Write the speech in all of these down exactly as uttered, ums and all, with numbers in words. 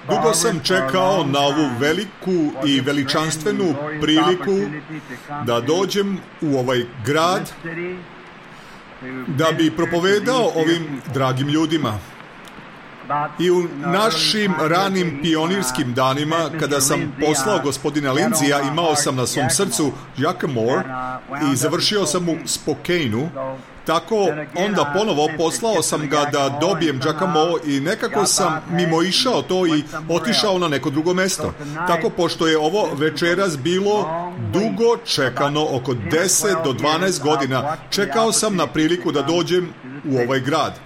Dugo sam čekao na ovu veliku i veličanstvenu priliku da dođem u ovaj grad, da bi propovedao ovim dragim ljudima. I u našim ranim pionirskim danima, kada sam poslao gospodina Lindsaya, imao sam na svom srcu Jackamore i završio sam u Spokaneu. Tako onda ponovo poslao sam ga da dobijem Jackamore i nekako sam mimoišao to i otišao na neko drugo mesto. Tako, pošto je ovo večeras bilo dugo čekano, oko deset do dvanaest godina, čekao sam na priliku da dođem u ovaj grad.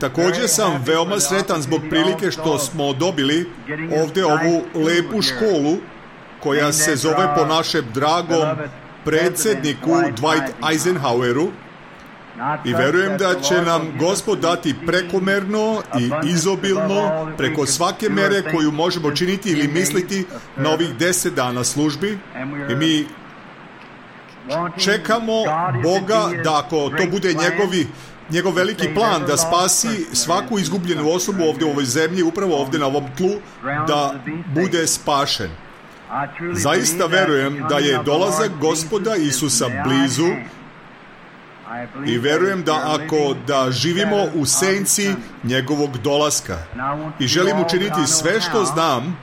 Također sam veoma sretan zbog prilike što smo dobili ovdje ovu lepu školu koja se zove po našem dragom predsjedniku Dwight Eisenhoweru, i verujem da će nam Gospod dati prekomerno i izobilno preko svake mere koju možemo činiti ili misliti na ovih deset dana službi. I mi čekamo Boga da, ako to bude njegovi njegov veliki plan da spasi svaku izgubljenu osobu ovdje u ovoj zemlji, upravo ovdje na ovom tlu, da bude spašen. Zaista verujem da je dolazak Gospoda Isusa blizu i verujem da ako da živimo u senci njegovog dolaska. I želim učiniti sve što znam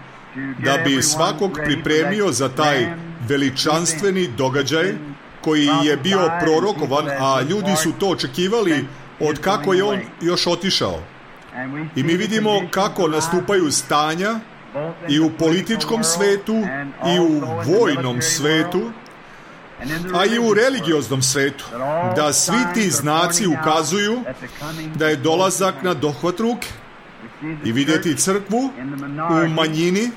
da bi svakog pripremio za taj veličanstveni događaj koji je bio prorokovan, a ljudi su to očekivali od kako je on još otišao. I mi vidimo kako nastupaju stanja i u političkom svetu, i u vojnom svetu, a i u religioznom svetu, da svi ti znaci ukazuju da je dolazak na dohvat ruke. I vidjeti crkvu u manjini,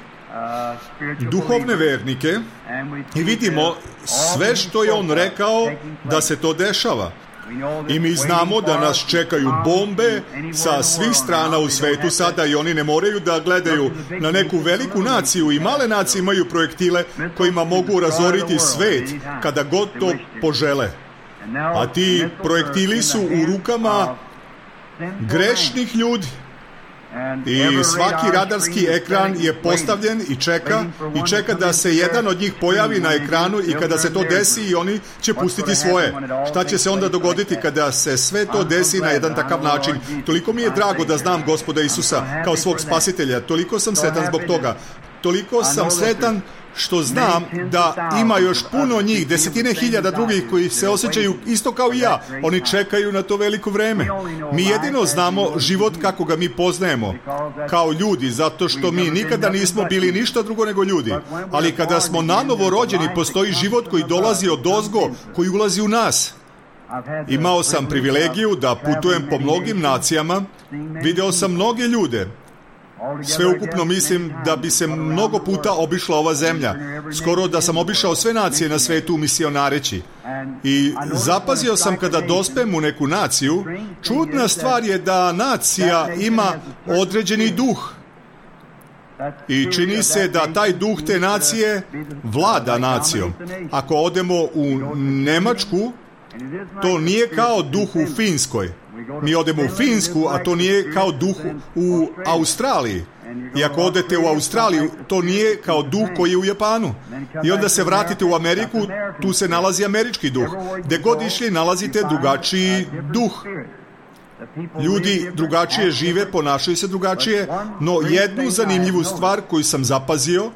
duhovne vernike, i vidimo sve što je on rekao da se to dešava. I mi znamo da nas čekaju bombe sa svih strana u svetu sada i oni ne moraju da gledaju na neku veliku naciju, i male nacije imaju projektile kojima mogu razoriti svet kada god to požele. A ti projektili su u rukama grešnih ljudi. I svaki radarski ekran je postavljen i čeka i čeka da se jedan od njih pojavi na ekranu, i kada se to desi i oni će pustiti svoje. Šta će se onda dogoditi kada se sve to desi na jedan takav način? Toliko mi je drago da znam Gospoda Isusa kao svog spasitelja. Toliko sam sretan zbog toga. Toliko sam sretan što znam da ima još puno njih, desetine hiljada drugih koji se osjećaju isto kao i ja. Oni čekaju na to veliko vreme. Mi jedino znamo život kako ga mi poznajemo kao ljudi, zato što mi nikada nismo bili ništa drugo nego ljudi. Ali kada smo nanovo rođeni, postoji život koji dolazi od ozgo, koji ulazi u nas. Imao sam privilegiju da putujem po mnogim nacijama, video sam mnoge ljude. Sveukupno mislim da bi se mnogo puta obišla ova zemlja. Skoro da sam obišao sve nacije na svetu misionareći. I zapazio sam kada dospem u neku naciju, čudna stvar je da nacija ima određeni duh. I čini se da taj duh te nacije vlada nacijom. Ako odemo u Nemačku, to nije kao duh u Finskoj. Mi odemo u Finsku, a to nije kao duh u Australiji. I ako odete u Australiju, to nije kao duh koji je u Japanu. I onda se vratite u Ameriku, tu se nalazi američki duh. Gde god išli, nalazite drugačiji duh. Ljudi drugačije žive, ponašaju se drugačije, no jednu zanimljivu stvar koju sam zapazio,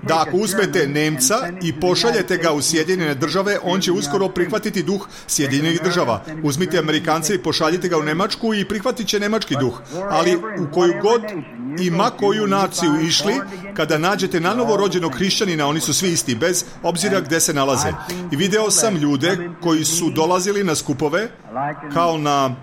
da ako uzmete Nemca i pošaljete ga u Sjedinjene države, on će uskoro prihvatiti duh Sjedinjenih država. Uzmite Amerikance i pošaljite ga u Nemačku i prihvatit će nemački duh. Ali u koju god i ma koju naciju išli, kada nađete nanovo rođenog hrišćanina, oni su svi isti, bez obzira gde se nalaze. I video sam ljude koji su dolazili na skupove, kao na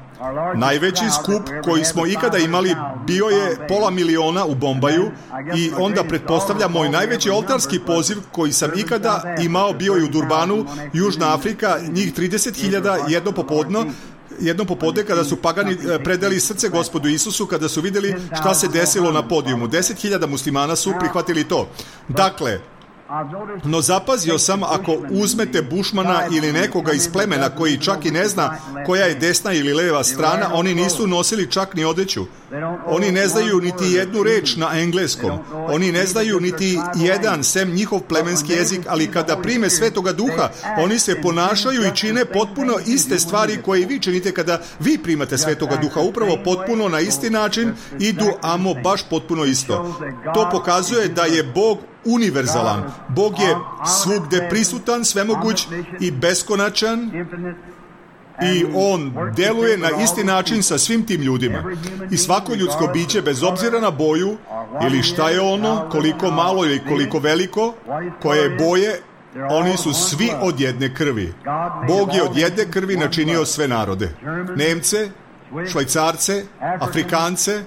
najveći skup koji smo ikada imali bio je pola miliona u Bombaju, i onda pretpostavlja moj najveći oltarski poziv koji sam ikada imao bio je u Durbanu, Južna Afrika, njih trideset hiljada jedno popodno, jednom popodne kada su pagani predali srce Gospodu Isusu, kada su vidjeli šta se desilo na podijumu. deset hiljada muslimana su prihvatili to. Dakle, No zapazio sam, ako uzmete Bušmana ili nekoga iz plemena koji čak i ne zna koja je desna ili leva strana, oni nisu nosili čak ni odeću. Oni ne znaju niti jednu reč na engleskom. Oni ne znaju niti jedan, sem njihov plemenski jezik, ali kada prime Svetoga Duha, oni se ponašaju i čine potpuno iste stvari koje i vi činite kada vi primate Svetoga Duha. Upravo potpuno na isti način idu, amo baš potpuno isto. To pokazuje da je Bog univerzalan. Bog je svugde prisutan, svemoguć i beskonačan i On deluje na isti način sa svim tim ljudima. I svako ljudsko biće, bez obzira na boju ili šta je ono, koliko malo ili koliko veliko, koje boje, oni su svi od jedne krvi. Bog je od jedne krvi načinio sve narode. Nemce, Švajcarce, Afrikance,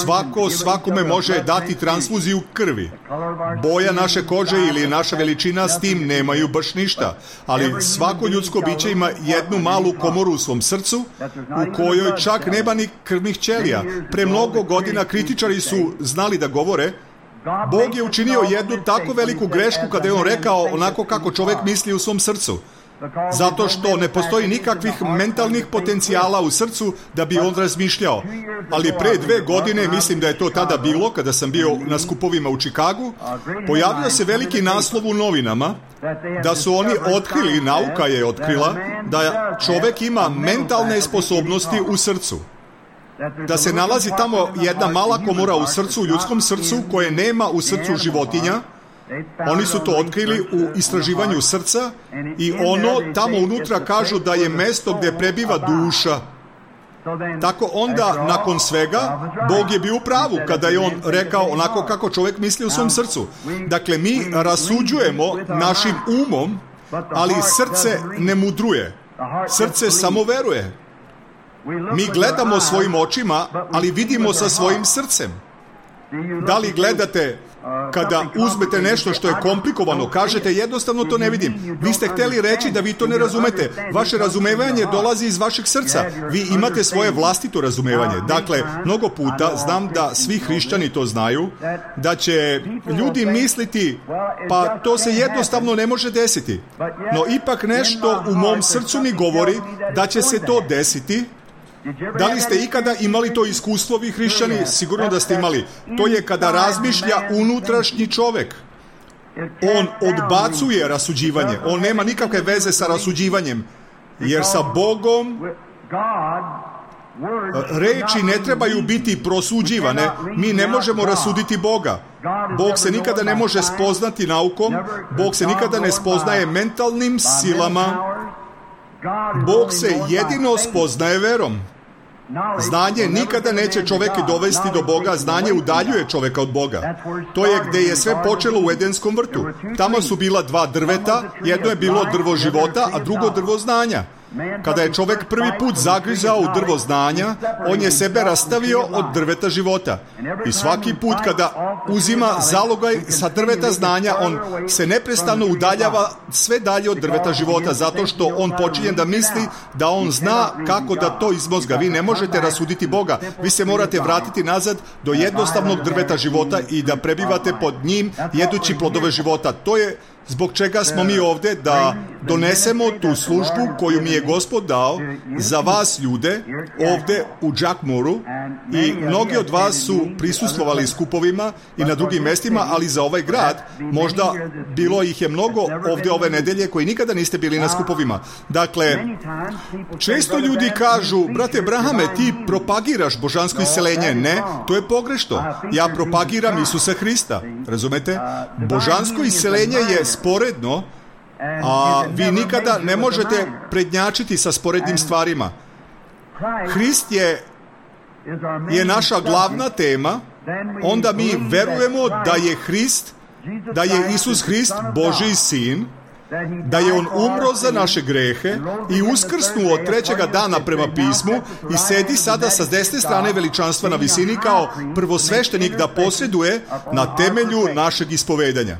svako svakome može dati transfuziju krvi. Boja naše kože ili naša veličina s tim nemaju baš ništa, ali svako ljudsko biće ima jednu malu komoru u svom srcu u kojoj čak nema ni krvnih ćelija. Pre mnogo godina kritičari su znali da govore, Bog je učinio jednu tako veliku grešku kada je On rekao onako kako čovek misli u svom srcu. Zato što ne postoji nikakvih mentalnih potencijala u srcu da bi on razmišljao. Ali pre dve godine, mislim da je to tada bilo, kada sam bio na skupovima u Čikagu, pojavio se veliki naslov u novinama da su oni otkrili, nauka je otkrila, da čovek ima mentalne sposobnosti u srcu. Da se nalazi tamo jedna mala komora u srcu, u ljudskom srcu, koje nema u srcu životinja. Oni su to otkrili u istraživanju srca i ono tamo unutra kažu da je mesto gde prebiva duša. Tako onda, nakon svega, Bog je bio u pravu kada je On rekao onako kako čovjek misli u svom srcu. Dakle, mi rasuđujemo našim umom, ali srce ne mudruje. Srce samo veruje. Mi gledamo svojim očima, ali vidimo sa svojim srcem. Da li gledate kada uzmete nešto što je komplikovano, kažete jednostavno to ne vidim. Vi ste hteli reći da vi to ne razumete. Vaše razumevanje dolazi iz vašeg srca. Vi imate svoje vlastito razumevanje. Dakle, mnogo puta, znam da svi hrišćani to znaju, da će ljudi misliti, pa to se jednostavno ne može desiti. No ipak nešto u mom srcu mi govori da će se to desiti. Da li ste ikada imali to iskustvo, vi hrišćani? Sigurno da ste imali. To je kada razmišlja unutrašnji čovek. On odbacuje rasuđivanje. On nema nikakve veze sa rasuđivanjem. Jer sa Bogom reči ne trebaju biti prosuđivane. Mi ne možemo rasuditi Boga. Bog se nikada ne može spoznati naukom. Bog se nikada ne spoznaje mentalnim silama. Bog se jedino spoznaje verom. Znanje nikada neće čoveka dovesti do Boga, znanje udaljuje čoveka od Boga. To je gde je sve počelo u Edenskom vrtu. Tamo su bila dva drveta, jedno je bilo drvo života, a drugo drvo znanja. Kada je čovek prvi put zagrizao u drvo znanja, on je sebe rastavio od drveta života. I svaki put kada uzima zalogaj sa drveta znanja, on se neprestano udaljava sve dalje od drveta života, zato što on počinje da misli da on zna kako da to izmozga. Vi ne možete rasuditi Boga. Vi se morate vratiti nazad do jednostavnog drveta života i da prebivate pod njim jedući plodove života. To je zbog čega smo mi ovde, da donesemo tu službu koju mi je Gospod dao za vas ljude ovde u Jackmoru, i mnogi od vas su prisustvovali skupovima i na drugim mestima, ali za ovaj grad možda bilo ih je mnogo ovde ove nedelje koji nikada niste bili na skupovima. Dakle, često ljudi kažu, brate Brahame, ti propagiraš božansko isceljenje. Ne, to je pogrešno. Ja propagiram Isusa Hrista. Razumete? Božansko isceljenje je sporedno, a vi nikada ne možete prednjačiti sa sporednim stvarima. Hrist je, je naša glavna tema, onda mi verujemo da je Hrist, da je Isus Hrist Božji sin, da je On umro za naše grehe i uskrsnuo od trećega dana prema pismu i sedi sada sa desne strane veličanstva na visini kao prvosveštenik da posreduje na temelju našeg ispovedanja.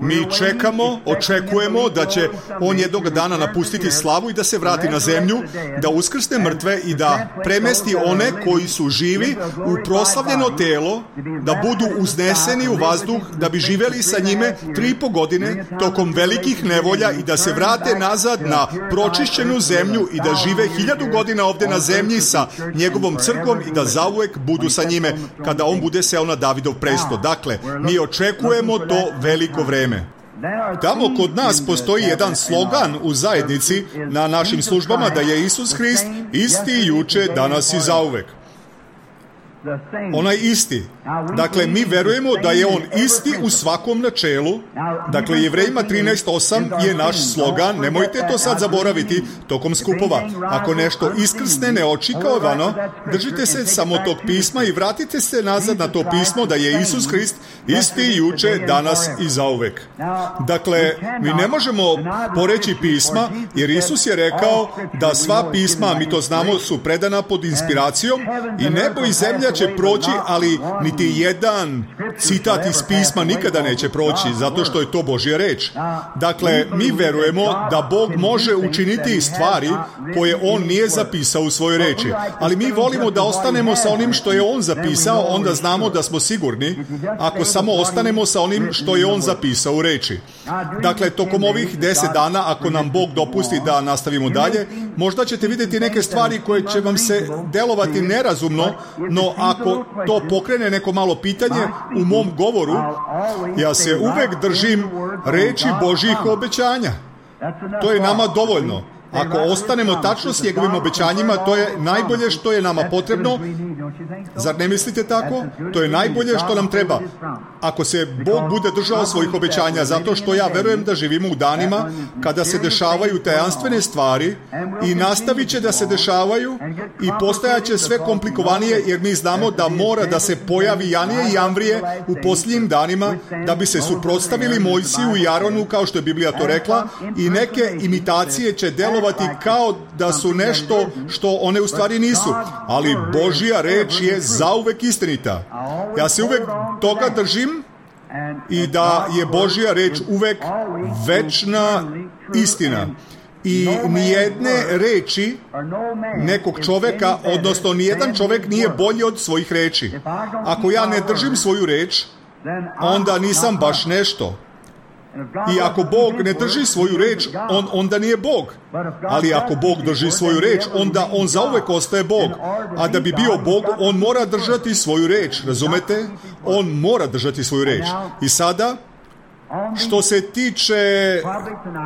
Mi čekamo, očekujemo da će on jednog dana napustiti slavu i da se vrati na zemlju, da uskrsne mrtve i da premesti one koji su živi u proslavljeno telo, da budu uzneseni u vazduh, da bi živeli sa njime tri i po godine tokom velikih nevolja i da se vrate nazad na pročišćenu zemlju i da žive hiljadu godina ovde na zemlji sa njegovom crkvom i da zauvek budu sa njime kada on bude seo na Davidov presto. Dakle, mi očekujemo to veliko vreme. Tamo kod nas postoji jedan slogan u zajednici na našim službama da je Isus Hrist isti juče, danas i zauvek. Onaj isti. Dakle, mi verujemo da je on isti u svakom načelu. Dakle, Jevrejima trinaest osam je naš slogan. Nemojte to sad zaboraviti tokom skupova. Ako nešto iskrsne neočekivano, držite se samo tog pisma i vratite se nazad na to pismo da je Isus Hrist isti juče, danas i zauvek. Dakle, mi ne možemo poreći pisma, jer Isus je rekao da sva pisma, mi to znamo, su predana pod inspiracijom i nebo i zemlja će proći, ali niti jedan citat iz pisma nikada neće proći, zato što je to Božja reč. Dakle, mi verujemo da Bog može učiniti stvari koje On nije zapisao u svojoj reči. Ali mi volimo da ostanemo sa onim što je On zapisao, onda znamo da smo sigurni ako samo ostanemo sa onim što je On zapisao u reči. Dakle, tokom ovih deset dana, ako nam Bog dopusti da nastavimo dalje, možda ćete vidjeti neke stvari koje će vam se delovati nerazumno, no ako to pokrene neko malo pitanje u mom govoru, ja se uvek držim reči Božjih obećanja. To je nama dovoljno. Ako ostanemo tačno s njegovim obećanjima, to je najbolje što je nama potrebno. Zar ne mislite tako? To je najbolje što nam treba. Ako se Bog bude držao svojih obećanja, zato što ja verujem da živimo u danima kada se dešavaju tajanstvene stvari i nastavit će da se dešavaju i postajaće sve komplikovanije, jer mi znamo da mora da se pojavi Janije i Amvrije u posljednjim danima da bi se suprotstavili Mojsiju i Aronu, kao što je Biblija to rekla, i neke imitacije će delovati kao da su nešto što one u stvari nisu. Ali Božja reč je zauvek istinita. Ja se uvek toga držim i da je Božja reč uvek večna istina. I nijedne reči nekog čoveka, odnosno nijedan čovek nije bolji od svojih reči. Ako ja ne držim svoju reč, onda nisam baš nešto. I ako Bog ne drži svoju reč, on onda nije Bog. Ali ako Bog drži svoju reč, onda on zauvek ostaje Bog. A da bi bio Bog, on mora držati svoju reč. Razumete? On mora držati svoju reč. I sada, što se tiče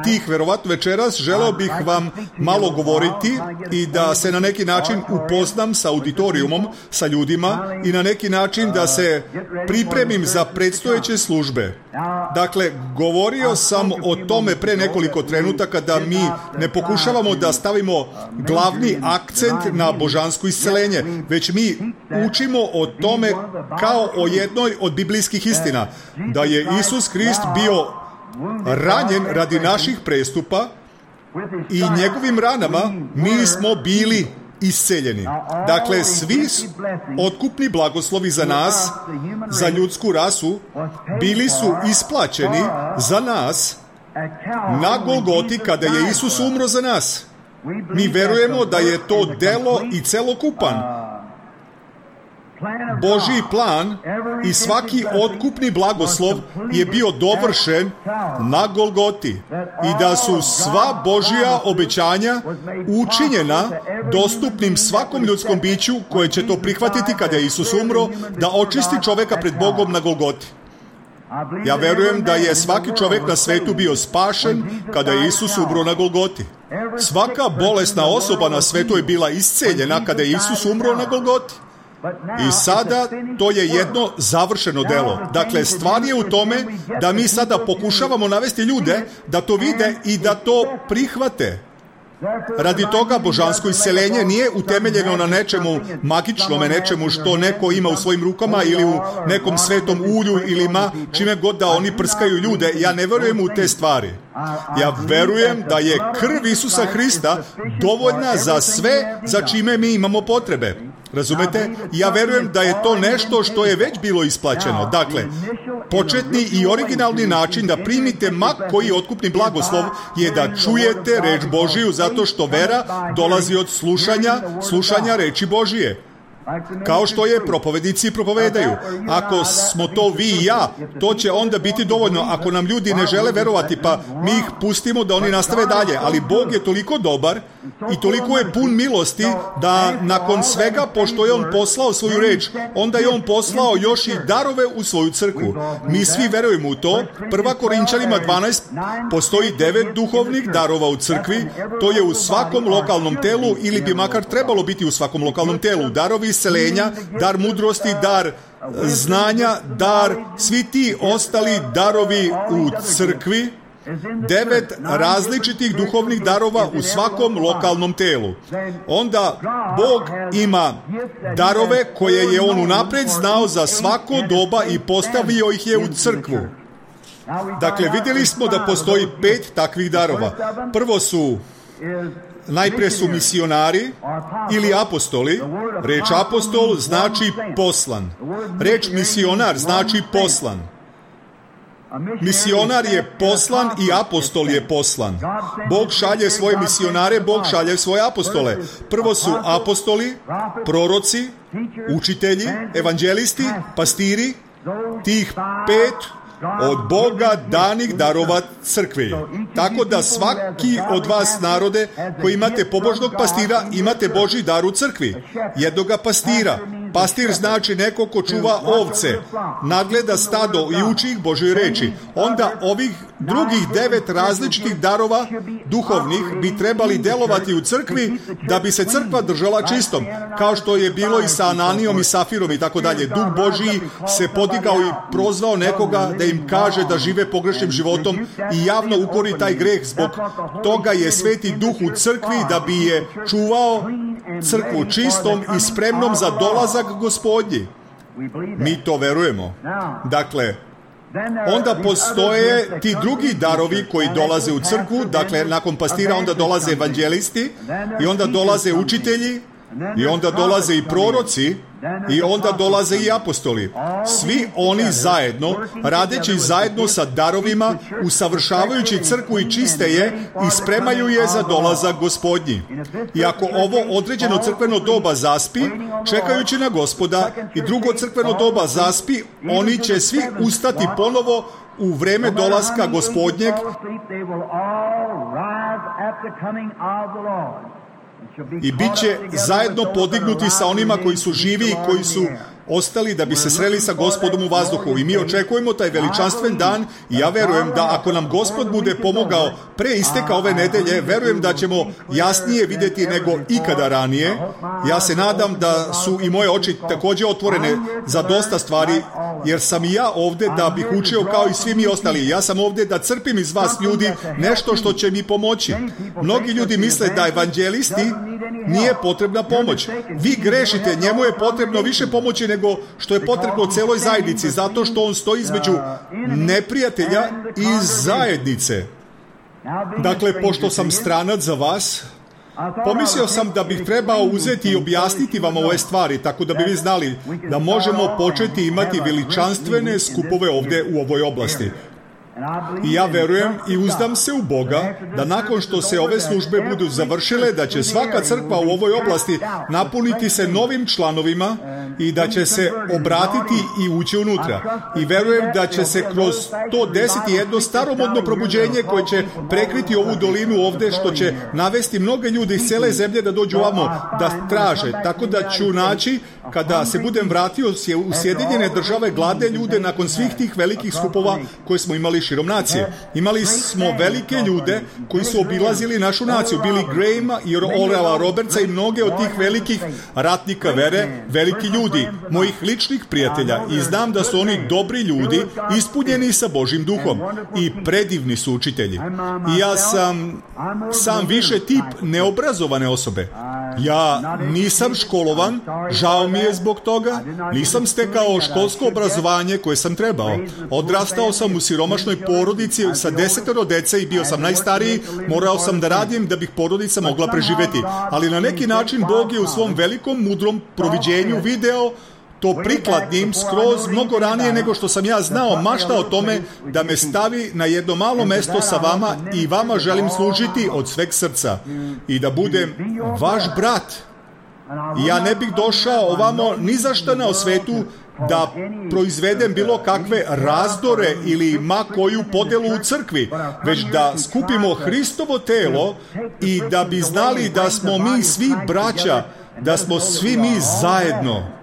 tih, verovatno večeras, želeo bih vam malo govoriti i da se na neki način upoznam sa auditorijumom, sa ljudima i na neki način da se pripremim za predstojeće službe. Dakle, govorio sam o tome pre nekoliko trenutaka da mi ne pokušavamo da stavimo glavni akcent na božansko isceljenje, već mi učimo o tome kao o jednoj od biblijskih istina, da je Isus Hrist bio ranjen radi naših prestupa i njegovim ranama mi smo bili isceljeni. Dakle, svi otkupni blagoslovi za nas, za ljudsku rasu, bili su isplaćeni za nas na Golgoti kada je Isus umro za nas. Mi verujemo da je to delo i celokupan Božji plan i svaki otkupni blagoslov je bio dovršen na Golgoti i da su sva Božja obećanja učinjena dostupnim svakom ljudskom biću koje će to prihvatiti kada je Isus umro, da očisti čoveka pred Bogom na Golgoti. Ja verujem da je svaki čovek na svetu bio spašen kada je Isus umro na Golgoti. Svaka bolesna osoba na svetu je bila isceljena kada je Isus umro na Golgoti. I sada to je jedno završeno delo. Dakle, stvar je u tome da mi sada pokušavamo navesti ljude da to vide i da to prihvate. Radi toga božansko isceljenje nije utemeljeno na nečemu magičnome, nečemu što neko ima u svojim rukama ili u nekom svetom ulju ili ma čime god da oni prskaju ljude. Ja ne verujem u te stvari. Ja verujem da je krv Isusa Hrista dovoljna za sve za čime mi imamo potrebe. Razumete? Ja verujem da je to nešto što je već bilo isplaćeno. Dakle, početni i originalni način da primite ma koji otkupni blagoslov je da čujete reč Božiju, zato što vera dolazi od slušanja, slušanja reči Božije. Kao što je propovednici propovedaju. Ako smo to vi i ja, to će onda biti dovoljno. Ako nam ljudi ne žele verovati, pa mi ih pustimo da oni nastave dalje. Ali Bog je toliko dobar i toliko je pun milosti da nakon svega, pošto je On poslao svoju reč, onda je On poslao još i darove u svoju crkvu. Mi svi verujemo u to. Prva Korinčanima dvanaest, postoji devet duhovnih darova u crkvi. To je u svakom lokalnom telu, ili bi makar trebalo biti u svakom lokalnom telu. Darovi isceljenja, dar mudrosti, dar znanja, dar, svi ti ostali darovi u crkvi, devet različitih duhovnih darova u svakom lokalnom telu. Onda Bog ima darove koje je On unapred znao za svako doba i postavio ih je u crkvu. Dakle, vidjeli smo da postoji pet takvih darova. Prvo su Najprije su misionari ili apostoli. Reč apostol znači poslan. Reč misionar znači poslan. Misionar je poslan i apostol je poslan. Bog šalje svoje misionare, Bog šalje svoje apostole. Prvo su apostoli, proroci, učitelji, evanđelisti, pastiri, tih pet od Boga danih darova crkvi. Tako da svaki od vas, narode, koji imate pobožnog pastira, imate Božji dar u crkvi. Jednoga pastira. Pastir znači neko ko čuva ovce, nadgleda stado i uči ih Božoj reči. Onda ovih drugih devet različitih darova duhovnih bi trebali delovati u crkvi da bi se crkva držala čistom, kao što je bilo i sa Ananijom i Safirom i tako dalje. Duh Božji se podigao i prozvao nekoga da im kaže da žive pogrešnim životom i javno ukori taj greh. Zbog toga je Sveti Duh u crkvi da bi je čuvao crkvu čistom i spremnom za dolazak Gospodnji. Mi to verujemo. Dakle, onda postoje ti drugi darovi koji dolaze u crkvu. Dakle, nakon pastira onda dolaze evanđelisti i onda dolaze učitelji i onda dolaze i proroci i onda dolaze i apostoli. Svi oni zajedno, radeći zajedno sa darovima, usavršavajući crkvu i čiste je i spremaju je za dolazak Gospodnji. I ako ovo određeno crkveno doba zaspi, čekajući na Gospoda, i drugo crkveno doba zaspi, oni će svi ustati ponovo u vreme dolaska Gospodnjeg i bit će zajedno podignuti sa onima koji su živi i koji su ostali da bi se sreli sa Gospodom u vazduhu. I mi očekujemo taj veličanstven dan i ja verujem da ako nam Gospod bude pomogao pre isteka ove nedelje, verujem da ćemo jasnije vidjeti nego ikada ranije. Ja se nadam da su i moje oči također otvorene za dosta stvari, jer sam i ja ovdje da bih učio kao i svi mi ostali. Ja sam ovdje da crpim iz vas, ljudi, nešto što će mi pomoći. Mnogi ljudi misle da evanđelisti nije potrebna pomoć. Vi grešite, njemu je potrebno više pomoći nego što je potrebno celoj zajednici, zato što on stoji između neprijatelja i zajednice. Dakle, pošto sam stranac za vas, pomislio sam da bih trebao uzeti i objasniti vam ove stvari, tako da bi vi znali da možemo početi imati veličanstvene skupove ovdje u ovoj oblasti. I ja verujem i uzdam se u Boga da nakon što se ove službe budu završile, da će svaka crkva u ovoj oblasti napuniti se novim članovima i da će se obratiti i ući unutra. I verujem da će se kroz to desiti jedno staromodno probuđenje koje će prekriti ovu dolinu ovdje, što će navesti mnoge ljude iz cijele zemlje da dođu ovamo da traže. Tako da ću naći, kada se budem vratio u Sjedinjene Države, gladne ljude nakon svih tih velikih skupova koje smo imali širom nacije. Imali smo velike ljude koji su obilazili našu naciju, Billy Grahama i Orala Robertsa i mnoge od tih velikih ratnika vere, veliki ljudi, mojih ličnih prijatelja, i znam da su oni dobri ljudi, ispunjeni sa Božjim duhom i predivni su učitelji. I ja sam sam više tip neobrazovane osobe. Ja nisam školovan, žao mi je zbog toga, nisam stekao školsko obrazovanje koje sam trebao. Odrastao sam u siromašnoj porodici sa desetero dece i bio sam najstariji, morao sam da radim da bih porodica mogla preživeti. Ali na neki način Bog je u svom velikom, mudrom proviđenju video to prikladnim skroz mnogo ranije nego što sam ja znao mašta o tome da me stavi na jedno malo mesto sa vama i vama želim služiti od sveg srca i da budem vaš brat. I ja ne bih došao ovamo ni za šta na svetu da proizvedem bilo kakve razdore ili ma koju podelu u crkvi, već da skupimo Hristovo telo i da bi znali da smo mi svi braća, da smo svi mi zajedno.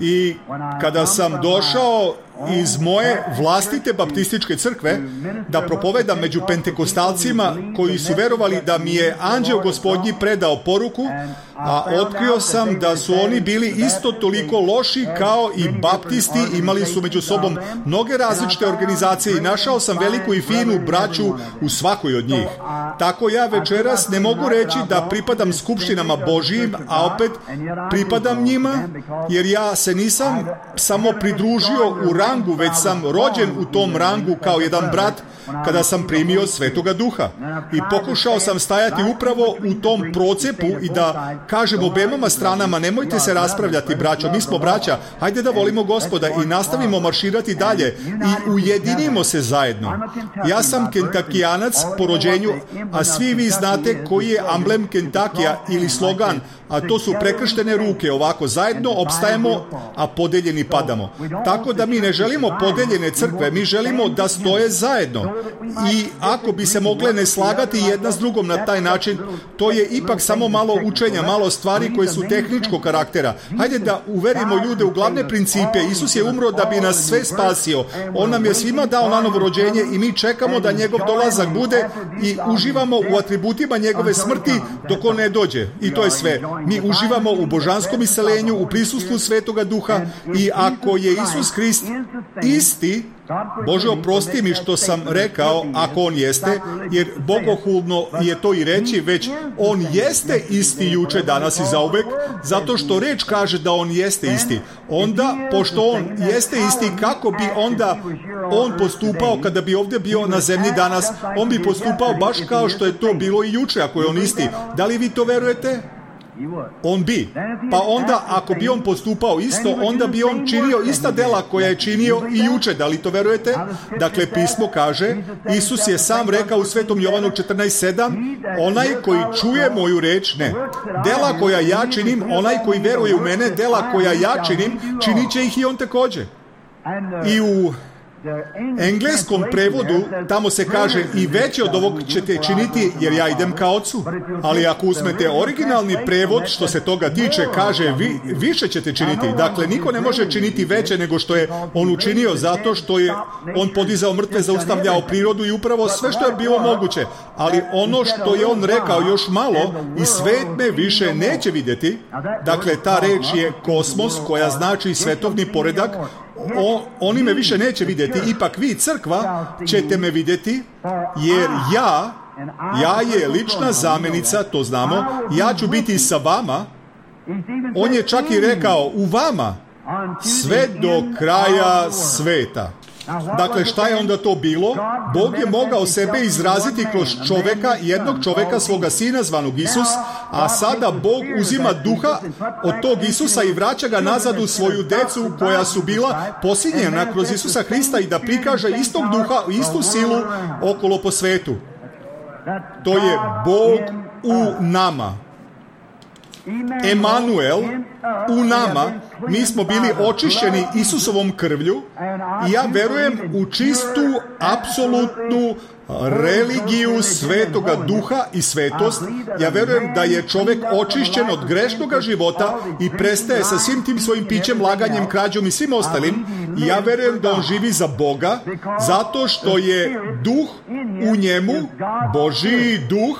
I kada sam došao iz moje vlastite baptističke crkve da propovedam među pentekostalcima koji su verovali da mi je anđeo Gospodnji predao poruku, a otkrio sam da su oni bili isto toliko loši kao i baptisti, imali su među sobom mnoge različite organizacije i našao sam veliku i finu braću u svakoj od njih. Tako ja večeras ne mogu reći da pripadam skupštinama Božijim, a opet pripadam njima, jer ja se nisam samo pridružio u rangu, već sam rođen u tom rangu kao jedan brat kada sam primio Svetoga Duha. I pokušao sam stajati upravo u tom procepu i da kažem obema stranama, nemojte se raspravljati braćo, mi smo braća, hajde da volimo Gospoda i nastavimo marširati dalje i ujedinimo se zajedno. Ja sam Kentakijanac po rođenju, a svi vi znate koji je amblem Kentakija ili slogan, a to su prekrštene ruke, ovako zajedno opstajemo, a podeljeni padamo. Tako da mi ne želimo podeljene crkve, mi želimo da stoje zajedno. I ako bi se mogle ne slagati jedna s drugom na taj način, to je ipak samo malo učenja, malo stvari koje su tehničkog karaktera. Hajde da uverimo ljude u glavne principe. Isus je umro da bi nas sve spasio. On nam je svima dao na novo rođenje i mi čekamo da njegov dolazak bude i uživamo u atributima njegove smrti dok on ne dođe. I to je sve. Mi uživamo u božanskom iseljenju, u prisustvu Svetoga Duha i ako je Isus Hrist isti, Bože, oprosti mi što sam rekao ako on jeste, jer bogohulno je to i reći, već on jeste isti juče, danas i zauvek, zato što reč kaže da on jeste isti. Onda, pošto on jeste isti, kako bi onda on postupao kada bi ovdje bio na zemlji danas? On bi postupao baš kao što je to bilo i juče, ako je on isti. Da li vi to verujete? On bi. Pa onda, ako bi on postupao isto, onda bi on činio ista dela koja je činio i juče. Da li to verujete? Dakle, pismo kaže, Isus je sam rekao u Svetom Jovanu četrnaest sedam, onaj koji čuje moju reč, ne. Dela koja ja činim, onaj koji veruje u mene, dela koja ja činim, činit će ih i on također. I u engleskom prevodu tamo se kaže i veće od ovog ćete činiti jer ja idem ka Ocu. Ali ako uzmete originalni prevod što se toga tiče, kaže vi, više ćete činiti. Dakle, niko ne može činiti veće nego što je on učinio, zato što je on podizao mrtve, zaustavljao prirodu i upravo sve što je bilo moguće. Ali ono što je on rekao još malo i svet me više neće vidjeti. Dakle, ta reč je kosmos koja znači svetovni poredak. O, oni me više neće vidjeti, ipak vi, crkva, ćete me vidjeti, jer ja, ja je lična zamjenica, to znamo, ja ću biti sa vama. On je čak i rekao, u vama, sve do kraja sveta. Dakle, šta je onda to bilo? Bog je mogao sebe izraziti kroz čoveka, jednog čoveka, svoga sina zvanog Isus, a sada Bog uzima duha od tog Isusa i vraća ga nazad u svoju decu koja su bila posinjena kroz Isusa Hrista i da prikaže istog duha, istu silu okolo po svetu. To je Bog u nama. Emanuel u nama, mi smo bili očišćeni Isusovom krvlju i ja verujem u čistu, apsolutnu religiju Svetoga Duha i svetost. Ja verujem da je čovjek očišćen od grešnoga života i prestaje sa svim tim svojim pićem, laganjem, krađom i svim ostalim. I ja verujem da on živi za Boga, zato što je duh u njemu, Božji duh,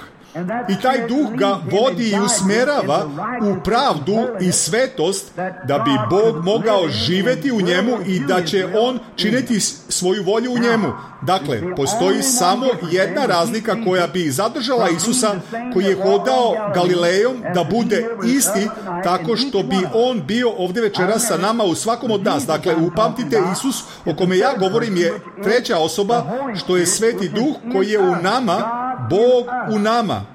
I taj duh ga vodi i usmerava u pravdu i svetost da bi Bog mogao živjeti u njemu i da će on činiti svoju volju u njemu. Dakle, postoji samo jedna razlika koja bi zadržala Isusa koji je hodao Galilejom da bude isti, tako što bi on bio ovdje večeras sa nama u svakom od nas. Dakle, upamtite, Isus o kome ja govorim je treća osoba, što je Sveti Duh koji je u nama, Bog u nama.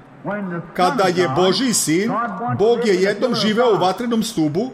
Kada je Božji sin, Bog je jednom živeo u vatrenom stubu,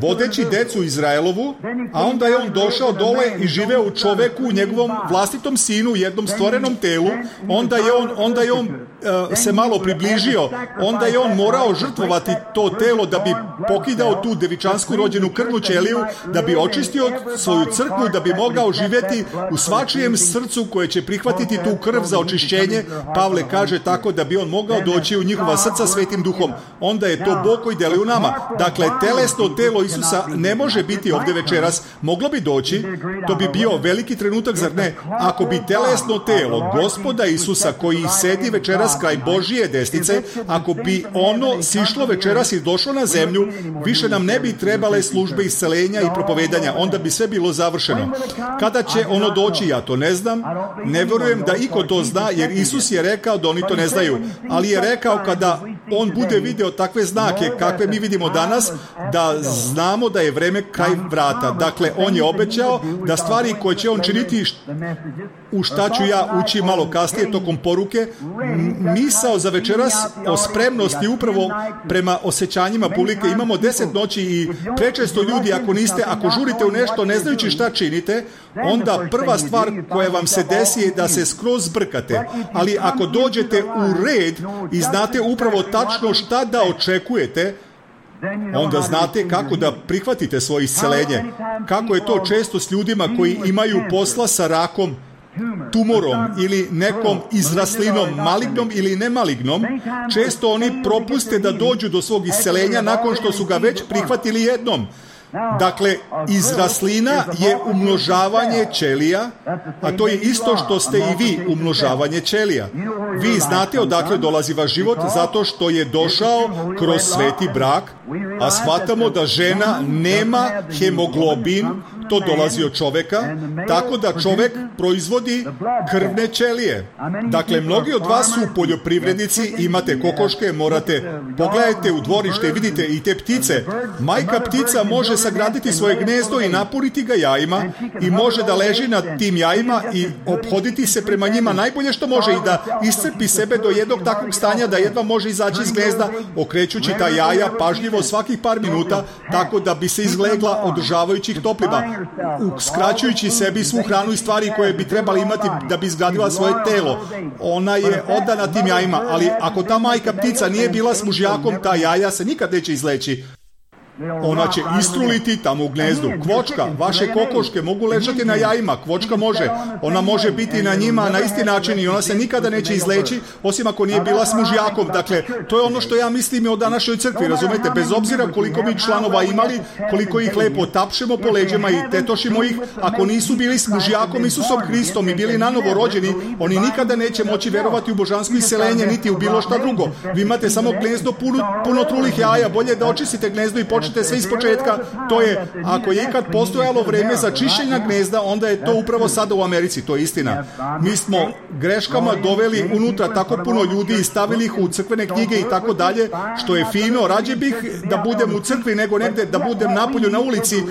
vodeći decu Izraelovu, a onda je on došao dole i živeo u čoveku, u njegovom vlastitom sinu, u jednom stvorenom telu. Onda je on, onda je on uh, se malo približio, onda je on morao žrtvovati to telo da bi pokidao tu devičansku rođenu krvnu ćeliju, da bi očistio svoju crkvu, da bi mogao živjeti u svačijem srcu koje će prihvatiti tu krv za očišćenje. Pavle kaže tako da bi on mogao doći u njihova srca Svetim Duhom. Onda je to Bog koji deli u nama. Dakle, telesno telo Isusa ne može biti ovdje večeras. Moglo bi doći, to bi bio veliki trenutak, zar ne? Ako bi telesno telo Gospoda Isusa koji sedi večeras kraj Božije desnice, ako bi ono sišlo večeras i došlo na zemlju, više nam ne bi trebale službe iscelenja i propovedanja. Onda bi sve bilo završeno. Kada će ono doći, ja to ne znam. Ne vjerujem da iko to zna, jer Isus je rekao da oni to ne znaju. Ali je rekao kada on bude video takve znake kakve mi vidimo danas, da znamo da je vreme kraj vrata. Dakle, on je obećao da stvari koje će on činiti, u šta ću ja ući malo kasnije tokom poruke, misao za večeras o spremnosti upravo prema osjećanjima publike. Imamo deset noći i prečesto ljudi, ako niste, ako žurite u nešto ne znajući šta činite, onda prva stvar koja vam se desi je da se skroz zbrkate. Ali ako dođete u red i znate upravo tačno šta da očekujete, onda znate kako da prihvatite svoje iscelenje. Kako je to često s ljudima koji imaju posla sa rakom, tumorom ili nekom izraslinom, malignom ili nemalignom. Često oni propuste da dođu do svog iscelenja nakon što su ga već prihvatili jednom. Dakle, izraslina je umnožavanje ćelija, a to je isto što ste i vi, umnožavanje ćelija. Vi znate odakle dolazi vaš život, zato što je došao kroz sveti brak, a shvatamo da žena nema hemoglobin, to dolazi od čoveka, tako da čovek proizvodi krvne ćelije. Dakle, mnogi od vas su poljoprivrednici, imate kokoške, morate, pogledajte u dvorište i vidite i te ptice. Majka ptica može sagraditi svoje gnezdo i napuniti ga jajima i može da leži na tim jajima i ophoditi se prema njima najbolje što može i da iscrpi sebe do jednog takvog stanja da jedva može izaći iz gnezda, okrećući ta jaja pažljivo svakih par minuta, tako da bi se izlegla održavajući ih toplima, uskraćujući sebi svu hranu i stvari koje bi trebali imati da bi izgradila svoje telo. Ona je odana tim jajima, ali ako ta majka ptica nije bila s mužjakom, ta jaja se nikad neće izleći. Ona će istruliti tamo u gnezdu. Kvočka, vaše kokoške mogu ležati na jajima, kvočka može. Ona može biti na njima na isti način i ona se nikada neće izleći, osim ako nije bila s mužjakom. Dakle, to je ono što ja mislim o današnjoj crkvi, razumete? Bez obzira koliko mi članova imali, koliko ih lepo tapšemo po leđima i tetošimo ih, ako nisu bili s mužjakom Isusom Hristom i bili nanovo rođeni, oni nikada neće moći verovati u božansko isceljenje, niti u bilo šta drugo. Vi imate samo gnezdo puno, puno trulih jaja, bolje da očistite gnezdo i počnete sve iz početka. To je, ako je ikad postojalo vreme za čišćenje gnezda, onda je to upravo sada u Americi, to je istina. Mi smo greškama doveli unutra tako puno ljudi i stavili ih u crkvene knjige i tako dalje, što je fino. Rađe bih da budem u crkvi nego negde da budem napolju na ulici,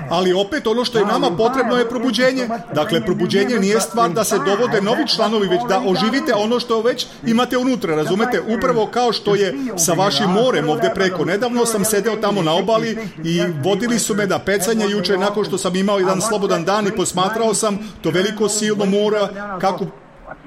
ali opet ono što je nama potrebno je probuđenje. Dakle, probuđenje nije stvar da se dovode novi članovi, već da oživite ono što već imate unutra, razumete? Upravo kao što je sa vašim morem ovdje preko. Nedavno sam sedeo tamo na obali i vodili su me na pecanje juče nakon što sam imao jedan slobodan dan i posmatrao sam to veliko silno mora kako